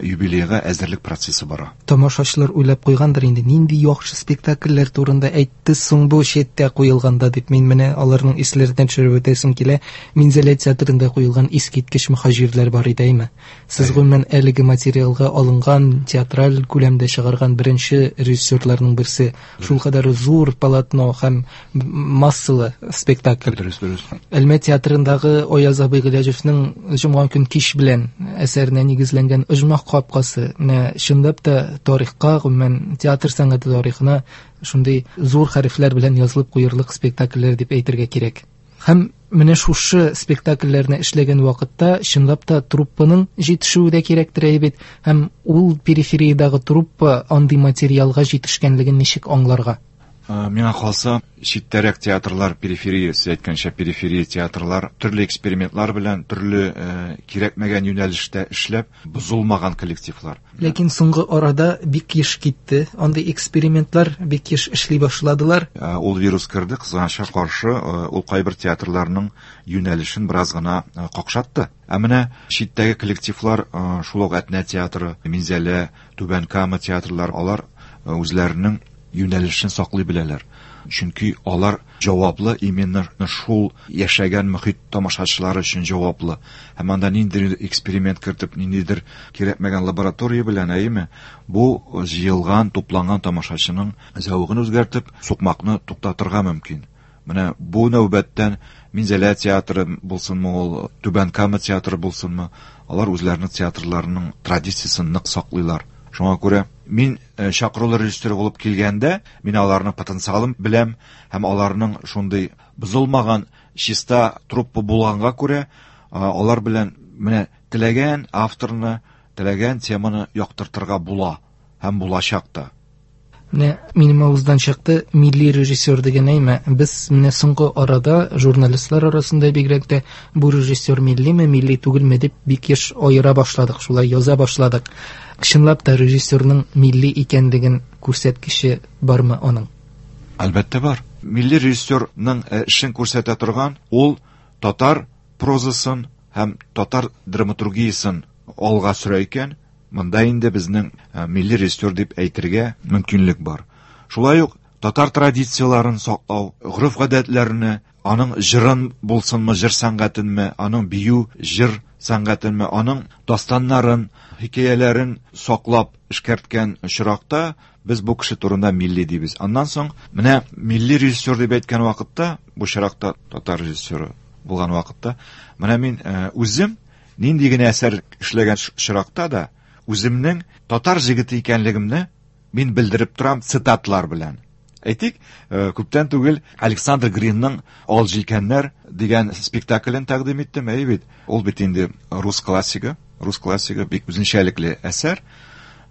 юбилейга әзерлек процессы бара. Тамашачылар уйлап куйгандыр инде, нинди яхшы спектакльләр турында әйтте соң бу читтә куелганда дип. Мин менә аларның исләреннән төшереп үтәсем килә. Минзәлә театрында куелган искиткеч мөхаҗирләр бар иде, әйме? Сез гомумән әлеге материалга алынган театраль күләмдә чыгарган беренче режиссерларның берсе. Шулкадәр зур полотно һәм массалы спектакль. Дөрес, дөрес. Әлмәт театрындагы Аяз абый Гыйләҗевнең Җомга көн кич белән әсәренә нигезләнгән Оҗмах капкасы менә чынлап та тарихка, гомумән театр сәнгате тарихына шундый зур хәрефләр белән язылып куерлык спектакльләр дип әйтергә кирәк. Һәм менә шушы спектакльләрне эшләгән вакытта чынлап та труппаның җитешүе дә кирәктер бит. Һәм ул перифериядагы труппа андый материалга җитешкәнлеген ничек аңларга? Миңа калса, читтәрәк театрлар, периферия, сез әйткәнчә, периферия театрлар төрле экспериментлар белән, төрле кирәкмәгән юнәлештә эшләп, бозылмаган коллективлар. Ләкин соңгы арада бик еш китте. Андый экспериментлар бик еш эшли башладылар. Ул вирус керде, кызганычка каршы, ул кайбер театрларның юнәлешен бераз гына какшатты. Ә менә читтәге коллективлар, шул ук Әтнә театры, Минзәлә, Түбән Кама театрлар, алар үзләренең юнәлешен саклый беләләр. Чөнки алар җаваплы, именно шул яшәгән мөхит тамашачылары өчен җаваплы. Һәм анда ниндидер эксперимент кертеп, ниндидер кирәкмәгән лаборатория белән, әйеме, бу җыелган, тупланган тамашачының зәвыгын үзгәртеп, сукмакны туктатырга мөмкин. Менә бу нәүбәттән Минзәлә театры булсынмы ул, Түбән Кама театры булсынмы, алар үзләренең театрларының традициясен нык саклыйлар. Шуңа күрә мин чакырулы режиссер булып килгәндә, мин аларның потенциалын беләм һәм аларның шундый бозылмаган чиста труппа булганга күрә, алар белән менә теләгән авторны, теләгән теманы яктыртырга була һәм булачак та. Менә минем авыздан чыкты милли режиссер дигән әйме. Без менә соңгы арада журналистлар арасында бигрәк тә бу режиссер миллиме, милли түгелме дип бик еш аера башладык, шулай яза башладык. Чынлап та режиссерның милли икәнлеген күрсәткече бармы аның? Әлбәттә бар. Милли режиссерның эшен күрсәтә торган ул татар прозасын һәм татар драматургиясын алга сөрә икән, монда инде безнең милли режиссер дип әйтергә мөмкинлек бар. Шулай ук татар традицияларын саклау, гореф-гадәтләрне, аның җырын булсынмы, җыр сәнгатенме, аның бию, җыр сәнгатенме, аның дастаннарын, хикәяләрен саклап эшкәрткән очракта без бу кеше турында милли дибез. Аннан соң менә милли режиссер дип әйткән вакытта, бу очракта татар режиссеры булган вакытта, менә мин үзем нинди генә әсәр эшләгән очракта да үземнең татар җегете икәнлегемне мин белдереп торам цитатлар белән. Әйтик, күптән түгел Александр Гринның Ал җилкәннәр дигән спектаклен тәкъдим иттем, әйе бит. Ул бит инде рус классигы, рус классигы бик үзенчәлекле әсәр.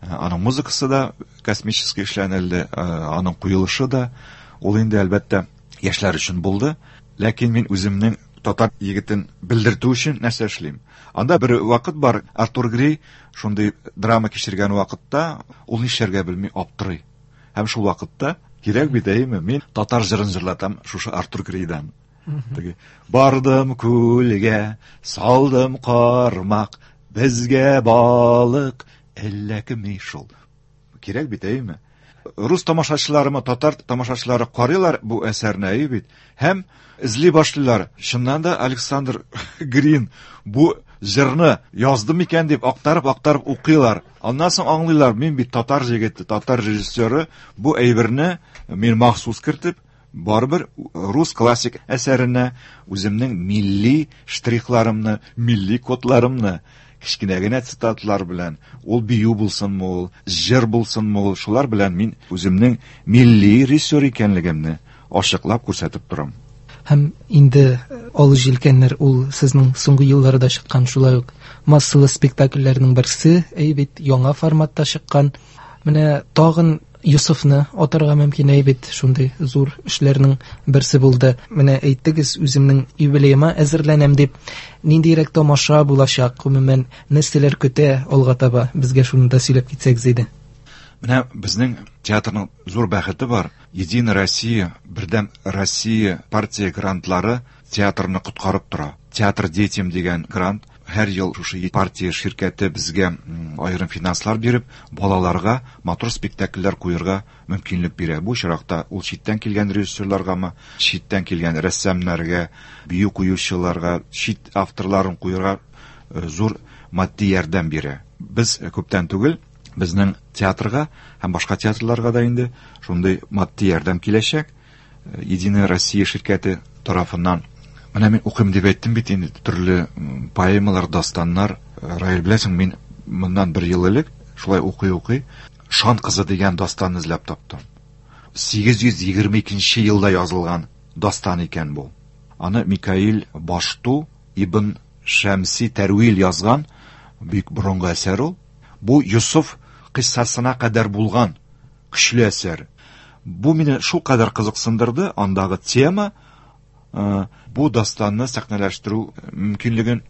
Аның музыкасы да космический эшләнелде, аның куелышы да. Ул инде әлбәттә яшьләр өчен булды. Ләкин мин үземнең татар егетен белдертү өчен нәрсә эшлим? Анда бер вакыт бар, Артур Грей шундый драма кичергән вакытта ул нишләргә белми аптырый. Һәм шул вакытта кирәк бит, әйеме, мин татар җырын җырлатам шушы Артур Грейдан. Теге бардым күлгә, салдым кармак, безгә балык эләкми шул. Кирәк бит, әйеме? Рус тамашачыларымы, татар тамашачылары карыйлар бу әсәрне, әйе бит, һәм эзли башлыйлар. Чыннан да Александр Грин бу җырны язды микән дип актарып-актарып укыйлар. Аннан соң аңлыйлар, мин бит татар җегете, татар режиссеры, бу әйберне мин махсус кертеп, барыбер рус классик әсәренә үземнең милли штрихларымны, милли кодларымны кечкенә генә цитатлар белән, ул бию булсынмы ул, җыр булсынмы ул, шулар белән мин үземнең милли режиссер икәнлегемне ачыклап күрсәтеп торам. Һәм инде Ал җилкәннәр ул сезнең соңгы елларда чыккан шулай ук массалы спектакльләрнең берсе, әй бит, яңа форматта чыккан. Менә тагын Йосыфны атарга мөмкин бит, шундый зур эшләрнең берсе булды. Менә әйттегез, үземнең юбилеема әзерләнәм дип. Ниндирәк тамаша булачак, гомумән, нәрсәләр көтә алга таба? Безгә шуны да сөйләп китсәгез иде. Менә безнең театрның зур бәхете бар. Единая Россия, Бердәм Россия партия грантлары театрны коткарып тора. Театр детям дигән грант һәр ел шушы партия ширкәте безгә аерым финанслар биреп, балаларга матур спектакльләр куярга мөмкинлек бирә. Бу очракта ул читтән килгән режиссерларгамы, читтән килгән рәссамнарга, бию куючыларга, чит авторларын куярга зур матди ярдәм бирә. Без күптән түгел безнең театрга һәм башка театрларга да инде шундый матди ярдәм киләчәк. Единая Россия ширкәте тарафыннан. Менә мин укыйм дип әйттем бит инде, төрле поэмалар, дастаннар. Раил, беләсең, мин моннан бер ел элек шулай укый-укый Шан кызы дигән дастанны эзләп таптым. сигез йөз егерме икенче елда язылган дастан икән бу. Аны Микаил Башту ибн Шәмси Тәрвил язган, бик борынгы әсәр ул. Бу Йосыф кыйссасына кадәр булган көчле әсәр. Бу мине шул кадәр кызыксындырды, андагы тема, бу дастанны сәхнәләштерү мөмкинлеген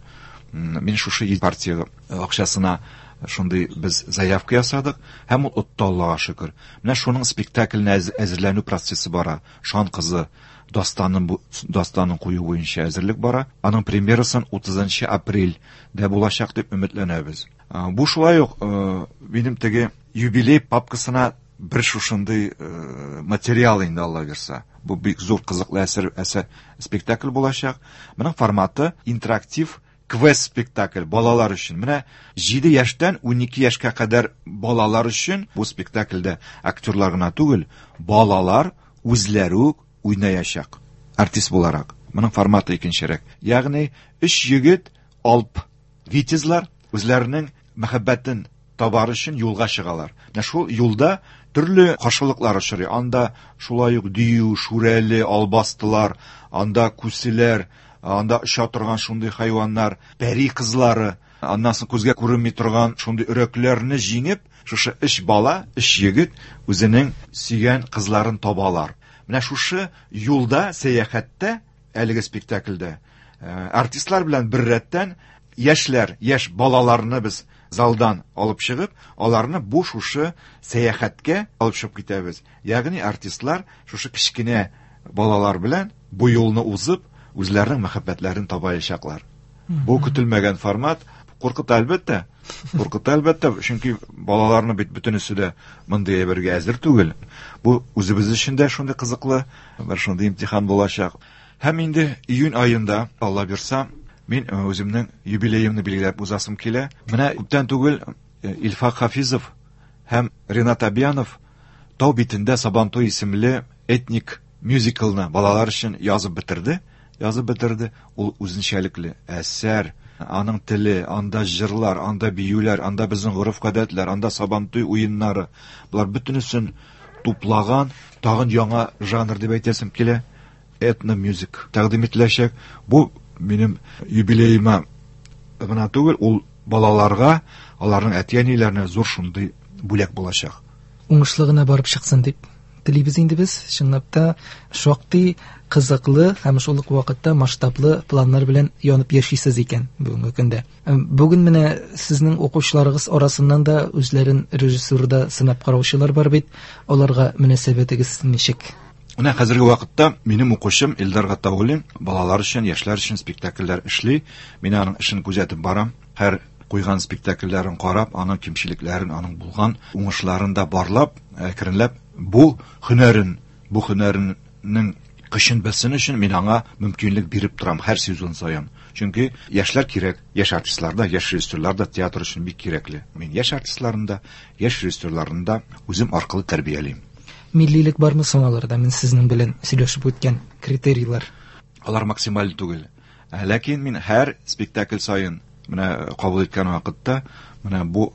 мин шушы партия акчасына шундый без заявка ясадык һәм ул отты, Аллага шөкер. Менә шуның спектакленә әзерләнү процессы бара. Шан кызы дастанын дастанын кую буенча әзерлек бара. Аның премьерасын утызынчы апрельдә булачак дип өметләнәбез. Бу шулай ук минем теге юбилей папкасына бер шушындый материал инде, Алла бирсә. Бу бик зур кызыклы әсәр, әсәр спектакль булачак. Моның форматы интерактив квест спектакль балалар өчен. Менә җиде яшьтән унике яшькә кадәр балалар өчен бу спектакльдә актерлар гына түгел, балалар үзләре үк уйнаячак артист буларак. Моның форматы икенчерәк. Ягъни өч егет алп витязлар үзләренең мәхәббәтен табар өчен юлга чыгалар. Менә шул юлда төрле каршылыклар очрый. Анда шулай ук дию, шүрәле, албастылар, анда күселәр, анда оча торган шундый хайваннар, пәри кызлары, аннан соң күзгә күренми торган шундый өрәкләрне җиңеп, шушы өч бала, өч егет үзенең сөйгән кызларын табалар. Менә шушы юлда, сәяхәттә, әлеге спектакльдә артистлар белән бер рәттән яшьләр, яшь балаларны без залдан алып чыгып, аларны бу шушы сәяхәткә алып чыгып китәбез. Ягъни артистлар шушы кечкенә балалар белән бу юлны узып, үзләренең мәхәббәтләрен табаячаклар. Бу көтелмәгән формат. Куркыта әлбәттә. Куркыта әлбәттә, чөнки балаларны бит бөтенесе дә мондый әйбергә әзер түгел. Бу үзебез өчен дә шундый кызыклы, бер шундый имтихан булачак. Һәм инде июнь аенда, Алла бирса, мин үземнең юбилеемны билгеләп узасым килә. Менә күптән түгел Илфак Хафизов һәм Ренат Абьянов Тау битендә Сабантуй исемле этник мюзиклны балалар өчен язып бетерде. Язып бетерде. Ул үзенчәлекле әсәр. Аның теле, анда җырлар, анда биюләр, анда безнең гореф-гадәтләр, анда Сабантуй уеннары. Булар бөтенесен туплаган, тагын яңа жанр дип әйтәсем килә. Этно-мюзик тәкъдим ителәчәк. Бу минем юбилеема гына түгел, ул балаларга, аларның әти-әниләренә зур шундый бүләк булачак. Уңышлы гына барып чыксын дип телибез инде без. Чынлап та шактый кызыклы һәм шул ук вакытта масштаблы планнар белән янып яшисез икән бүгенге көндә. Бүген менә сезнең укучыларыгыз арасыннан да үзләрен режиссурда сынап караучылар бар бит. Аларга мөнәсәбәтегез ничек? Менә хәзерге вакытта минем укучым Илдар Гатауллин балалар өчен, яшьләр өчен спектакльләр эшли. Мин аның эшен күзәтеп барам. Һәр куйган спектакльләрен карап, аның кимчелекләрен, аның булган уңышларын да барлап, әкренләп бу һөнәрен, бу һөнәренең көчен белсен өчен мин аңа мөмкинлек биреп торам һәр сезон саен. Чөнки яшьләр кирәк, яшь артистлар да, яшь режиссерлар да театр өчен бик кирәкле. Мин яшь артистларны да, яшь режиссерларны да үзем аркылы тәрбиялим. Миллилек бармы соң аларда? Мин сезнең белән сөйләшеп үткән критерийлар. Алар максималь түгел. Ләкин мин һәр спектакль саен менә кабул иткән вакытта менә бу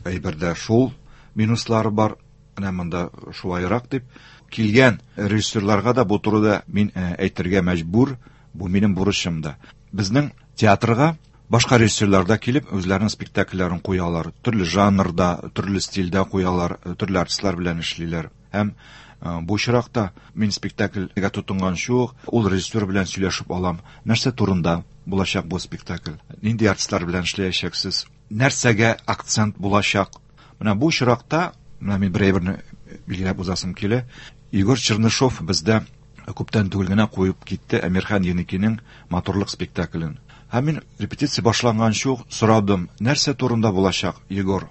әйбердә шул минуслары бар, менә монда шулайрак дип килгән режиссерларга да бу турыда мин әйтергә мәҗбүр, бу минем бурычым да. Безнең театрга Башка режиссерлар да килеп үзләренең спектакльләрен куялар. Төрле жанрда, төрле стильдә куялар, төрле артистлар белән эшлиләр. Һәм бу очракта мин спектакльгә тотынганчы ук ул режиссер белән сөйләшеп алам. Нәрсә турында булачак бу спектакль? Нинди артистлар белән эшләячәксез? Нәрсәгә акцент булачак? Менә бу очракта, менә мин бер әйберне билгеләп узасым килә. Егор Чернышов бездә күптән түгел генә куеп китте Әмирхан Еникинең Матурлык спектаклен. Һәм мин репетиция башланганчы ук сорадым, нәрсә турында булачак, Егор?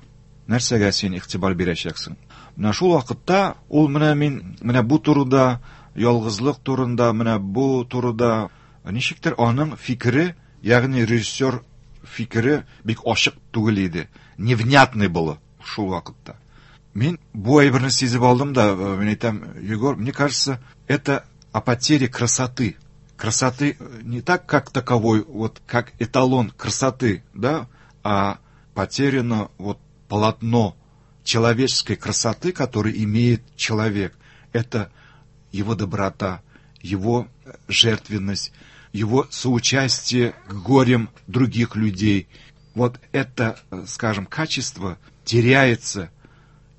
Нәрсәгә син игътибар бирәчәксең? Менә шул вакытта ул менә мин менә бу турыда, ялгызлык турында, менә бу турыда ничектер аның фикере, ягъни режиссер фикере бик ачык түгел иде. Невнятный было шул вакытта. Мин бу әйберне сизеп алдым да, мин әйтәм, Егор, мне кажется, это о потере красоты. Красоты не так, как таковой, вот как эталон красоты, да, а потеряно вот полотно человеческой красоты, который имеет человек. Это его доброта, его жертвенность, его соучастие к горям других людей. Вот это, скажем, качество теряется,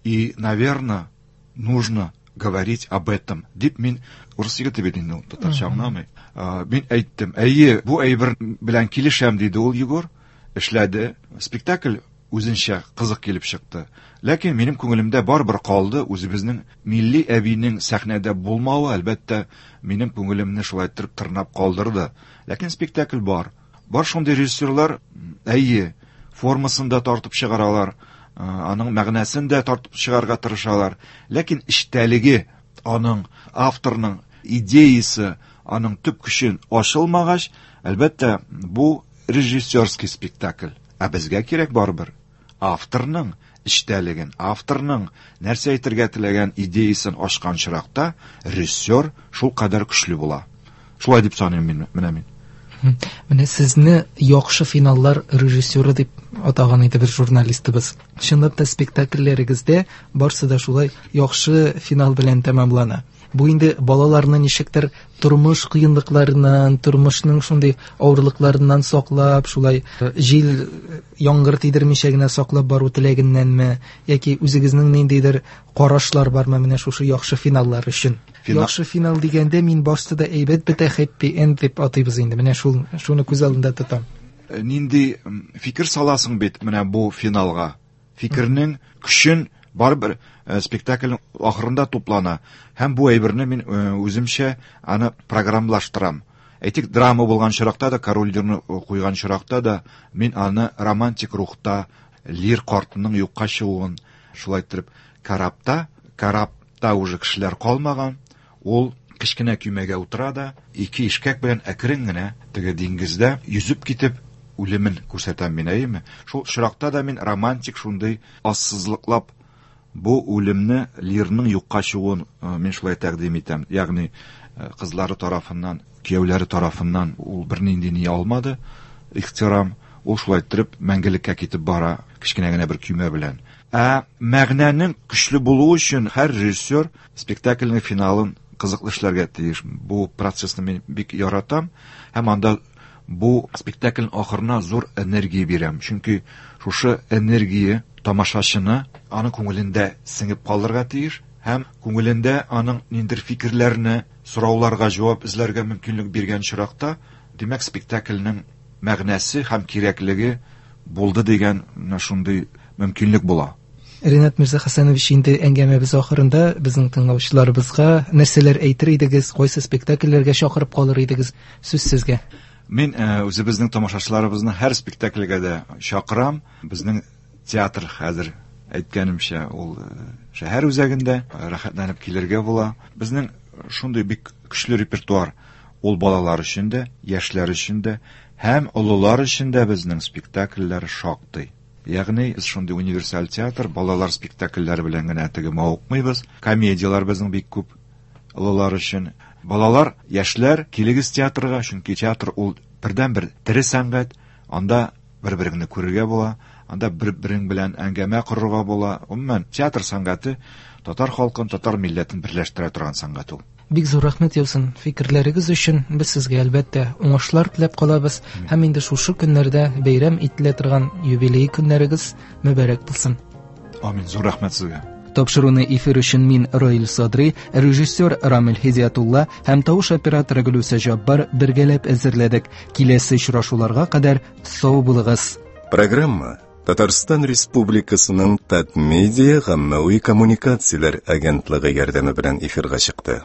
и, наверное, нужно говорить об этом. Дип мин урыс егете бит инде ул, татарча аңламый. Мин әйттем, әйе, бу әйбер белән килешәм, диде ул Егор. Эшләде. Спектакль үзенчә кызык килеп чыкты. Ләкин минем күңелемдә барыбер калды үзебезнең милли әбинең сәхнәдә булмавы, әлбәттә, минем күңелемне шулай итеп тырнап калдырды. Ләкин спектакль бар. Бар шундый режиссерлар, әйе, формасын да тартып чыгаралар, аның мәгънәсен дә тартып чыгарга тырышалар. Ләкин эчтәлеге, аның авторның идеясы, аның төп көчен ачылмагач, әлбәттә, бу режиссерский спектакль. Ә безгә кирәк барыбер авторның эчтәлеген, авторның нәрсә әйтергә теләгән идеясын ачкан чиракта режиссер шул кадәр көчле була. Шулай дип саныйм мин, менә мин. Менә сезне яхшы финаллар режиссеры дип атаган иде бер журналистыбыз. Чынлап та спектакльләрегездә барсы да шулай яхшы финал белән тәмамлана. Бу инде балаларны ничектер тормыш кыенлыкларыннан, тормышның шундый авырлыкларыннан саклап, шулай җил, яңгыр тидермичә генә саклап бару теләгеннәнме, яки үзегезнең ниндидер карашлар бармы менә шушы яхшы финаллар өчен? Финал... Яхшы финал дигәндә мин башта да әйбәт бетә, happy end дип атыйбыз инде. Менә шул шуны күз алдында тотам. Нинди фикер саласың бит менә бу финалга? Фикернең көчен барыбер спектакльнең ахырында туплана. Һәм бу әйберне мин үземчә аны программлаштырам. Әйтик, драма булган чиракта да, Король Лирны куйган чиракта да мин аны романтик рухта, Лир картының юкка чыгуын шулай итеп корабта, корабта уже кешеләр калмаган, ул кечкенә көймәгә утыра да, ике ишкәк белән әкрен генә теге диңгездә йөзеп китеп үлемен күрсәтәм мин, әйеме? Шул чиракта да мин романтик шундый ассызлыклап бу үлемне, Лирның юкка чыгуын мин шулай тәкъдим итәм. Ягъни кызлары тарафыннан, кияүләре тарафыннан ул бернинди ни алмады, ихтирам, ул шулай итеп мәңгелеккә китеп бара кечкенә генә бер көймә белән. Ә мәгънәнең көчле булуы өчен һәр режиссер спектакльнең финалын кызыклы эшләргә тиеш. Бу процессны мин бик яратам һәм анда бу спектакльнең ахырына зур энергия бирәм. Чөнки шушы энергия тамашачыны аның күңелендә сеңеп калырга тиеш һәм күңелендә аның ниндидер фикерләрне, сорауларга җавап эзләргә мөмкинлек биргән чиракта, димәк, спектакльнең мәгънәсе һәм кирәклеге булды дигән менә шундый мөмкинлек була. Ринат Мирзахасанович, инде әңгәмәбез ахырында безнең тыңлаучыларыбызга нәрсәләр әйтер идегез, кайсы спектакльләргә чакырып калыр идегез? Сүз сезгә. Мин үзебезнең тамашачыларыбызны һәр спектакльгә дә чакырам. Безнең театр хәзер, әйткәнемчә, ул шәһәр үзәгендә, рәхәтләнеп килергә була. Безнең шундый бик көчле репертуар. Ул балалар өчен дә, яшьләр өчен дә һәм олылар өчен дә безнең спектакльләр шактый. Ягъни без шундый универсаль театр, балалар спектакльләре белән генә теге мавыкмыйбыз. Комедияләр безнең бик күп олылар өчен. Балалар, яшьләр, килегез театрга, чөнки театр ул бердәнбер тере сәнгать. Анда бер-береңне күрергә була, анда бер-берең белән әңгәмә корырга була. Гомумән, театр сәнгате татар халкын, татар милләтен берләштерә торган сәнгать ул. Бик зур рәхмәт яусын фикерләрегез өчен. Без сезгә, әлбәттә, уңышлар теләп калабыз. Һәм инде шушы көннәрдә бәйрәм ителә торган юбилей көннәрегез мөбарәк булсын. Амин. Зур рәхмәт сезгә. Тапшыруны эфир өчен мин Раил Садри, режиссер Рамил Һидиятулла һәм тавыш операторы Гөлүсә Җаббар бергәләп әзерләдек. Киләсе очрашуларга кадәр сау булыгыз. Программа Татарстан Республикасының Татмедиа гаммәви коммуникацияләр агентлыгы ярдәме белән эфирга чыкты.